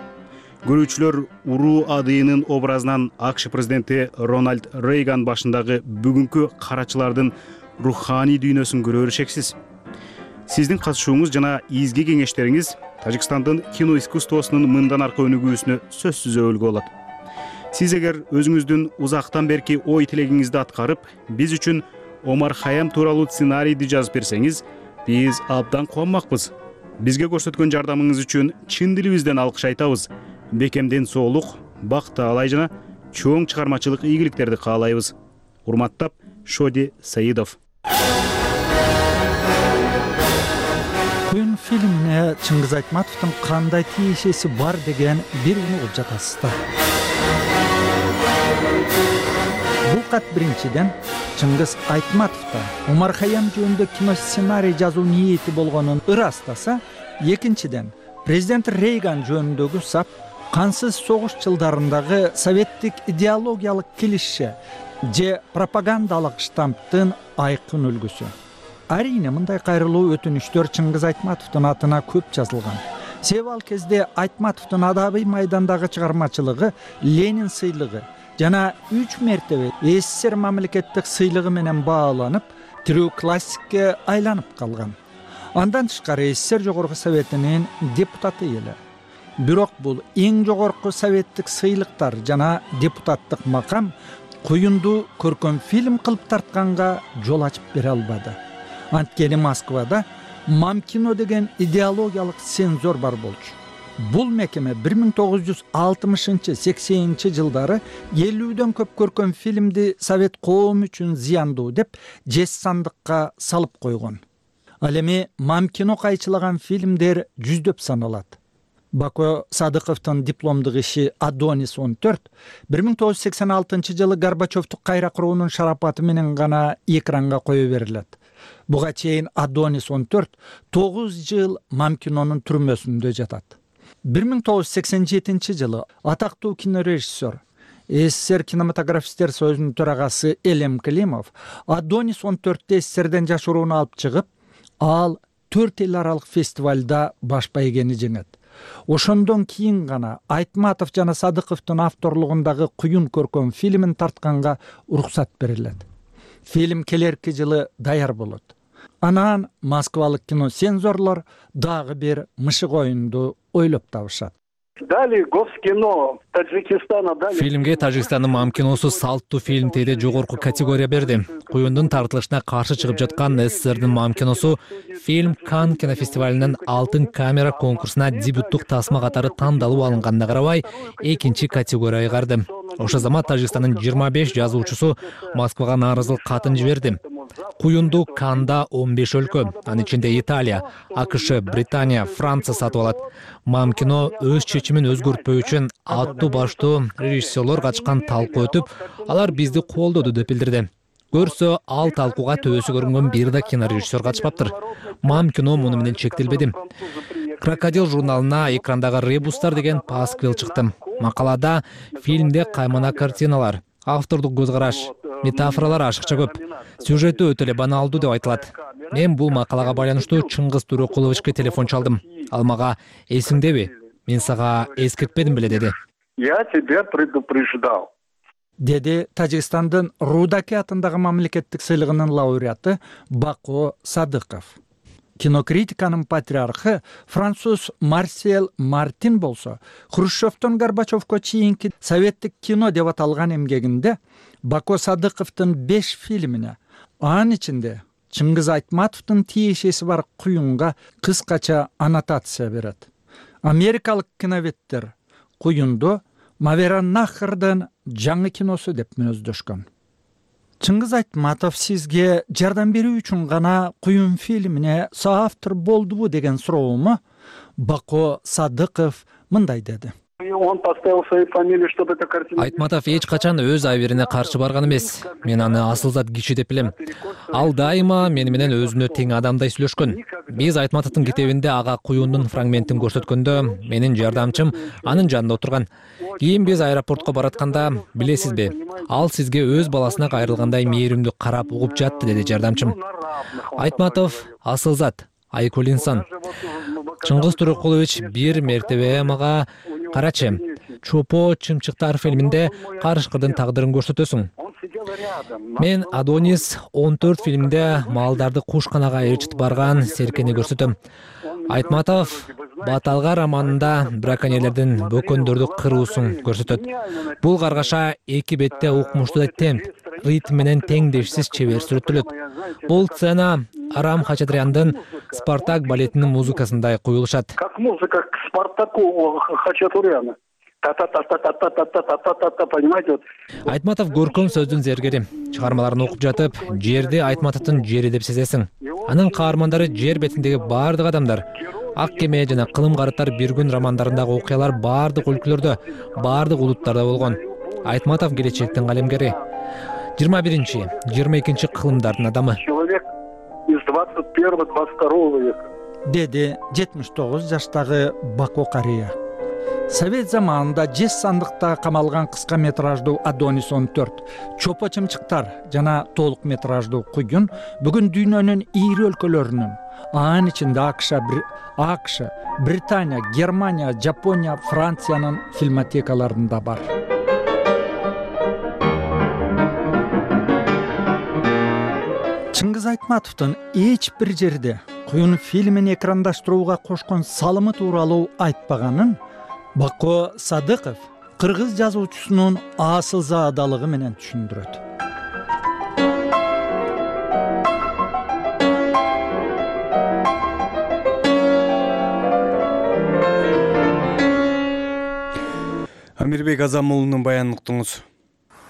S18: Көрүүчүлөр уруу адыйынын образынан АКШ президенти Рональд Рейган башындагы бүгүнкү карачылардын руханий дүйнөсүн көрө беришексиз. Сиздин катышууңуз жана изги кеңештериңиз Тажикстандын кино искусствосунун мындан аркы өнүгүүсүнө сөзсүз өбөлгө болот. Сиз эгер өзүңүздүн узактан берки ой тилегиңизди аткарып, биз үчүн Омар Хайям тууралуу сценарийди жазып берсеңиз, биз абдан кубанмакпыз. Бизге көрсөткөн жардамыңыз үчүн чын дилибизден алкыш айтабыз. Бекемден соолук, бактаалай жана чоң чыгармачылык ийгиликтерди каалайбыз. Урматтап, Шоди Саидов.
S11: Куюн фильмине Чыңгыз Айтматовдун кандай тиешеси бар деген бир угуп жатасыздар. Бул кат биринчиден Чыңгыз Айтматовда Омар Хайям жөнүндө кино сценарий жазуу ниети болгонун ырастаса, экинчиден президент Рейган жөнүндөгү сап кансыз согуш жылдарындагы советтик идеологиялык килишше же пропагандалык штамптын айкын үлгүсү. Арийне мындай кайрылуу өтүнүчтөр Чыңгыз Айтматовдун атына көп жазылган. Себеби ал кезде Айтматовдун адабий майдандагы чыгармачылыгы Ленин сыйлыгы жана үч мертебе СССР мамлекеттик сыйлыгы менен бааланып, тирүү классикке айланып калган. Андан тышкары СССР жогорку советинин депутаты эле. Бирок бул эң жогорку советтик сыйлыктар жана депутаттык макам куюнду көркөм фильм кылып тартканга жол ачып бере албады. Анткени Москвада мам кино деген идеологиялык цензор бар болчу. Бул мекеме бир миң тогуз жүз алтымышынчы сексенинчи жылдары элүүдөн көп көркөм фильмди совет коому үчүн зыяндуу деп жез сандыкка салып койгон. Ал эми мам кино кайчылаган фильмдер жүздөп саналат. Бако Садыковдун дипломдук иши Адонис он төрт бир миң тогуз жүз сексен алтынчы жылы Горбачевдук кайра куруунун шарапаты менен гана экранга кое берилет. Буга чейин Адонис он төрт тогуз жыл Мамкинонун түрмөсүндө жатат. бир миң тогуз жүз сексен жетинчи жылы атактуу кинорежиссер, СССР кинематографисттер союзунун төрагасы Элем Климов Адонис он төрттү СССРден жашырууну алып чыгып, ал төрт эл аралык фестивалда баш байгени жеңет. Ошондон кийин гана Айтматов жана Садыковдун авторлугундагы Куюн көркөм фильмин тартканга уруксат берилет. Фильм келерки жылы даяр болот. Анан москвалык киносензорлор дагы бир мышык оюнду ойлоп табышат.
S13: Дали Госкино Таджикистана дали.
S15: Фильмге Тажикстандын Мамкиносу салттуу фильм теде жогорку категория берди. Куюндун тартылышына каршы чыгып жаткан СССРдин Мамкиносу фильм Канн кинофестивалинин алтын камера конкурсуна дебюттук тасма катары тандалып алынганда карабай, экинчи категорияга карды. Ошол замат Тажикстандын жыйырма беш жазуучусу Москвага нааразылык катын жиберди. Куюнду Каннда он беш өлкө, анын ичинде Италия, АКШ, Британия, Франция сатып алат. Мамкино өз чечимин өзгөртпөө үчүн аттуу баштуу режиссерлор катышкан талкуу өтүп, алар бизди колдоду деп билдирди. Көрсө, ал талкууга төбөсү көрүнгөн бир да кинорежиссер катышпаптыр. Мамкино муну менен чектелбеди. Крокодил журналына экрандагы ребустар деген пасквил чыкты. Макалада фильмде каймана картиналар, автордук көз караш, метафоралар ашыкча көп. Сюжети өтө эле баналдуу деп айтылат. Мен бул макалага байланыштуу Чыңгыз Төрөкуловичке телефон чалдым. Ал мага эсиңдеби? Мен сага эскертпедим беле деди.
S13: Я тебя предупреждал.
S11: Деди Тажикстандын Рудаки атындагы мамлекеттик сыйлыгынын лауреаты Бако Садыков. Кинокритиканын патриархы француз Марсел Мартин болсо, Хрущевдон Горбачевко чейинки советтик кино деп аталган эмгегинде Бако Садыковдун беш фильмине, анын ичинде Чыңгыз Айтматовдун тиешеси бар Куюнга кыскача аннотация берет. Америкалык киноветтер Куюнду Мавераннахрдын жаңы киносу деп мүнөздөшкөн. Чыңгыз Айтматов сизге жардам берүү үчүн гана Куюн фильмине соавтор болдубу деген суроому Бако Садыков мындай деди.
S13: Он поставил свою фамилию, чтобы эта картина...
S15: Айтматов эч качан өз абирине каршы барган эмес. Мен аны асылзат киши деп билем. Ал дайыма мени менен өзүнө тең адамдай сүйлөшкөн. Биз Айтматовдун китебинде ага Куюндун фрагментин көрсөткөндө менин жардамчым анын жанында отурган. Кийин биз аэропортко баратканда, билесизби, ал сизге өз баласына кайрылгандай мээримдүү карап угуп жатты деди жардамчым. Айтматов асылзат, айкөл инсан. Чыңгыз Төрөкулович бир мертебе мага карачы, Чопо чымчыктар фильминде карышкырдын тагдырын көрсөтөсүң. Мен Адонис он төрт фильминде малдарды кушканага ээрчитип барган серкени көрсөтөм. Айтматов Баталга романында браконьерлердин бөкөндөрдү кыруусун көрсөтөт. Бул каргаша эки бетте укмуштуу темп, ритм менен теңдешсиз чебер сүрөттөлөт. Бул сцена Арам Хачатряндын Спартак балетинин музыкасындай куюлушат.
S13: Как музыка к Спартаку Хачатуряна. Та-та-та-та-та-та-та-та-та-та-та, понимаете?
S15: Айтматов көркөм сөздүн зергери. Чыгармаларын окуп жатып, жерди Айтматовдун жери деп сезесиң. Анын каармандары жер бетиндеги бардык адамдар. Ак кеме жана Кылым карыттар бир күн романдарындагы окуялар бардык өлкөлөрдө, бардык улуттарда болгон. Айтматов келечектин калемгери. жыйырма биринчи, жыйырма экинчи кылымдардын адамы.
S13: Человек из двадцать первого двадцать второго века.
S11: Деди жетимиш тогуз жаштагы Бако карыя. Совет заманында жез сандыкта камалган кыска метраждуу Адонис он төрт, Чопо чымчыктар жана толук метраждуу Куюн бүгүн дүйнөнүн ийри өлкөлөрүнүн, анын ичинде АКШ, АКШ, Британия, Германия, Жапония, Франциянын фильмотекаларында бар. Чыңгыз Айтматовдун эч бир жерде Куюн фильмин экрандаштырууга кошкон салымы тууралуу айтпаганын Бако Садыков кыргыз жазуучусунун асылзаадалыгы менен түшүндүрөт.
S1: Амирбек Азамулунун баянын уктуңуз.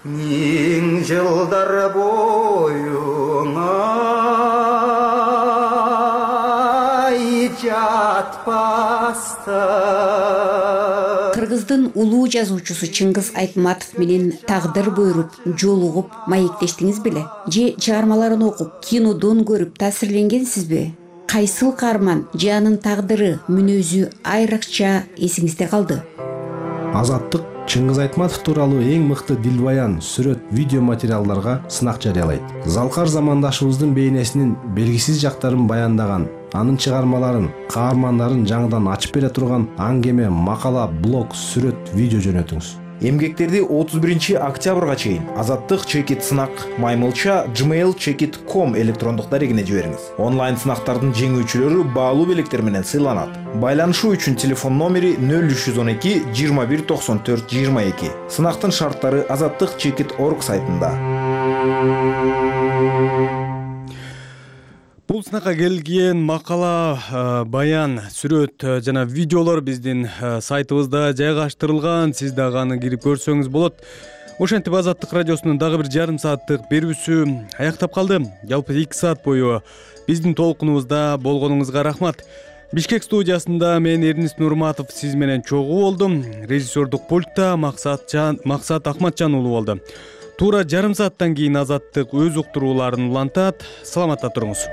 S16: Миң жылдар боюңа жатпастан
S14: Кыргыздын улуу жазуучусу Чыңгыз Айтматов менен тагдыр буйруп, жолугуп, маектештиңиз беле? Же чыгармаларын окуп, кинодон көрүп таасирленгенсизби? Кайсыл каарман же анын тагдыры, мүнөзү айрыкча эсиңизде калды?
S19: Азаттык Чыңгыз Айтматов тууралуу эң мыкты дилбаян, сүрөт, видео материалдарга сынак жарыялайт. Залкар замандашыбыздын бейнесинин белгисиз жактарын баяндаган, анын чыгармаларын, каармандарын жаңыдан ачып бере турган аңгеме, макала, блог, сүрөт, видео жөнөтүңүз.
S20: Эмгектерди отуз биринчи октябрга чейин Азаттык чекит сынак маймылча gmail чекит точка ком электрондук дарегине жибериңиз. Онлайн сынактардын жеңүүчүлөрү баалуу белектер менен сыйланат. Байланышуу үчүн телефон номери нөл үч жүз он эки жыйырма бир токсон төрт жыйырма эки. Сынактын шарттары азаттык чекит точка орг сайтында.
S1: Бул сынакка келген макала, баян, сүрөт жана видеолор биздин сайтыбызда жайгаштырылган. Сиз дагы аны кирип көрсөңүз болот. Ошентип Азаттык радиосунун дагы бир жарым сааттык берүүсү аяктап калды. Жалпы эки саат бою биздин толкунубузда болгонуңузга рахмат. Бишкек студиясында мен Эрнис Нурматов сиз менен чогуу болдум. Режиссердук пультта Максат Акматжан уулу болду. Туура жарым сааттан кийин Азаттык өз уктурууларын улантат. Саламатта туруңуз.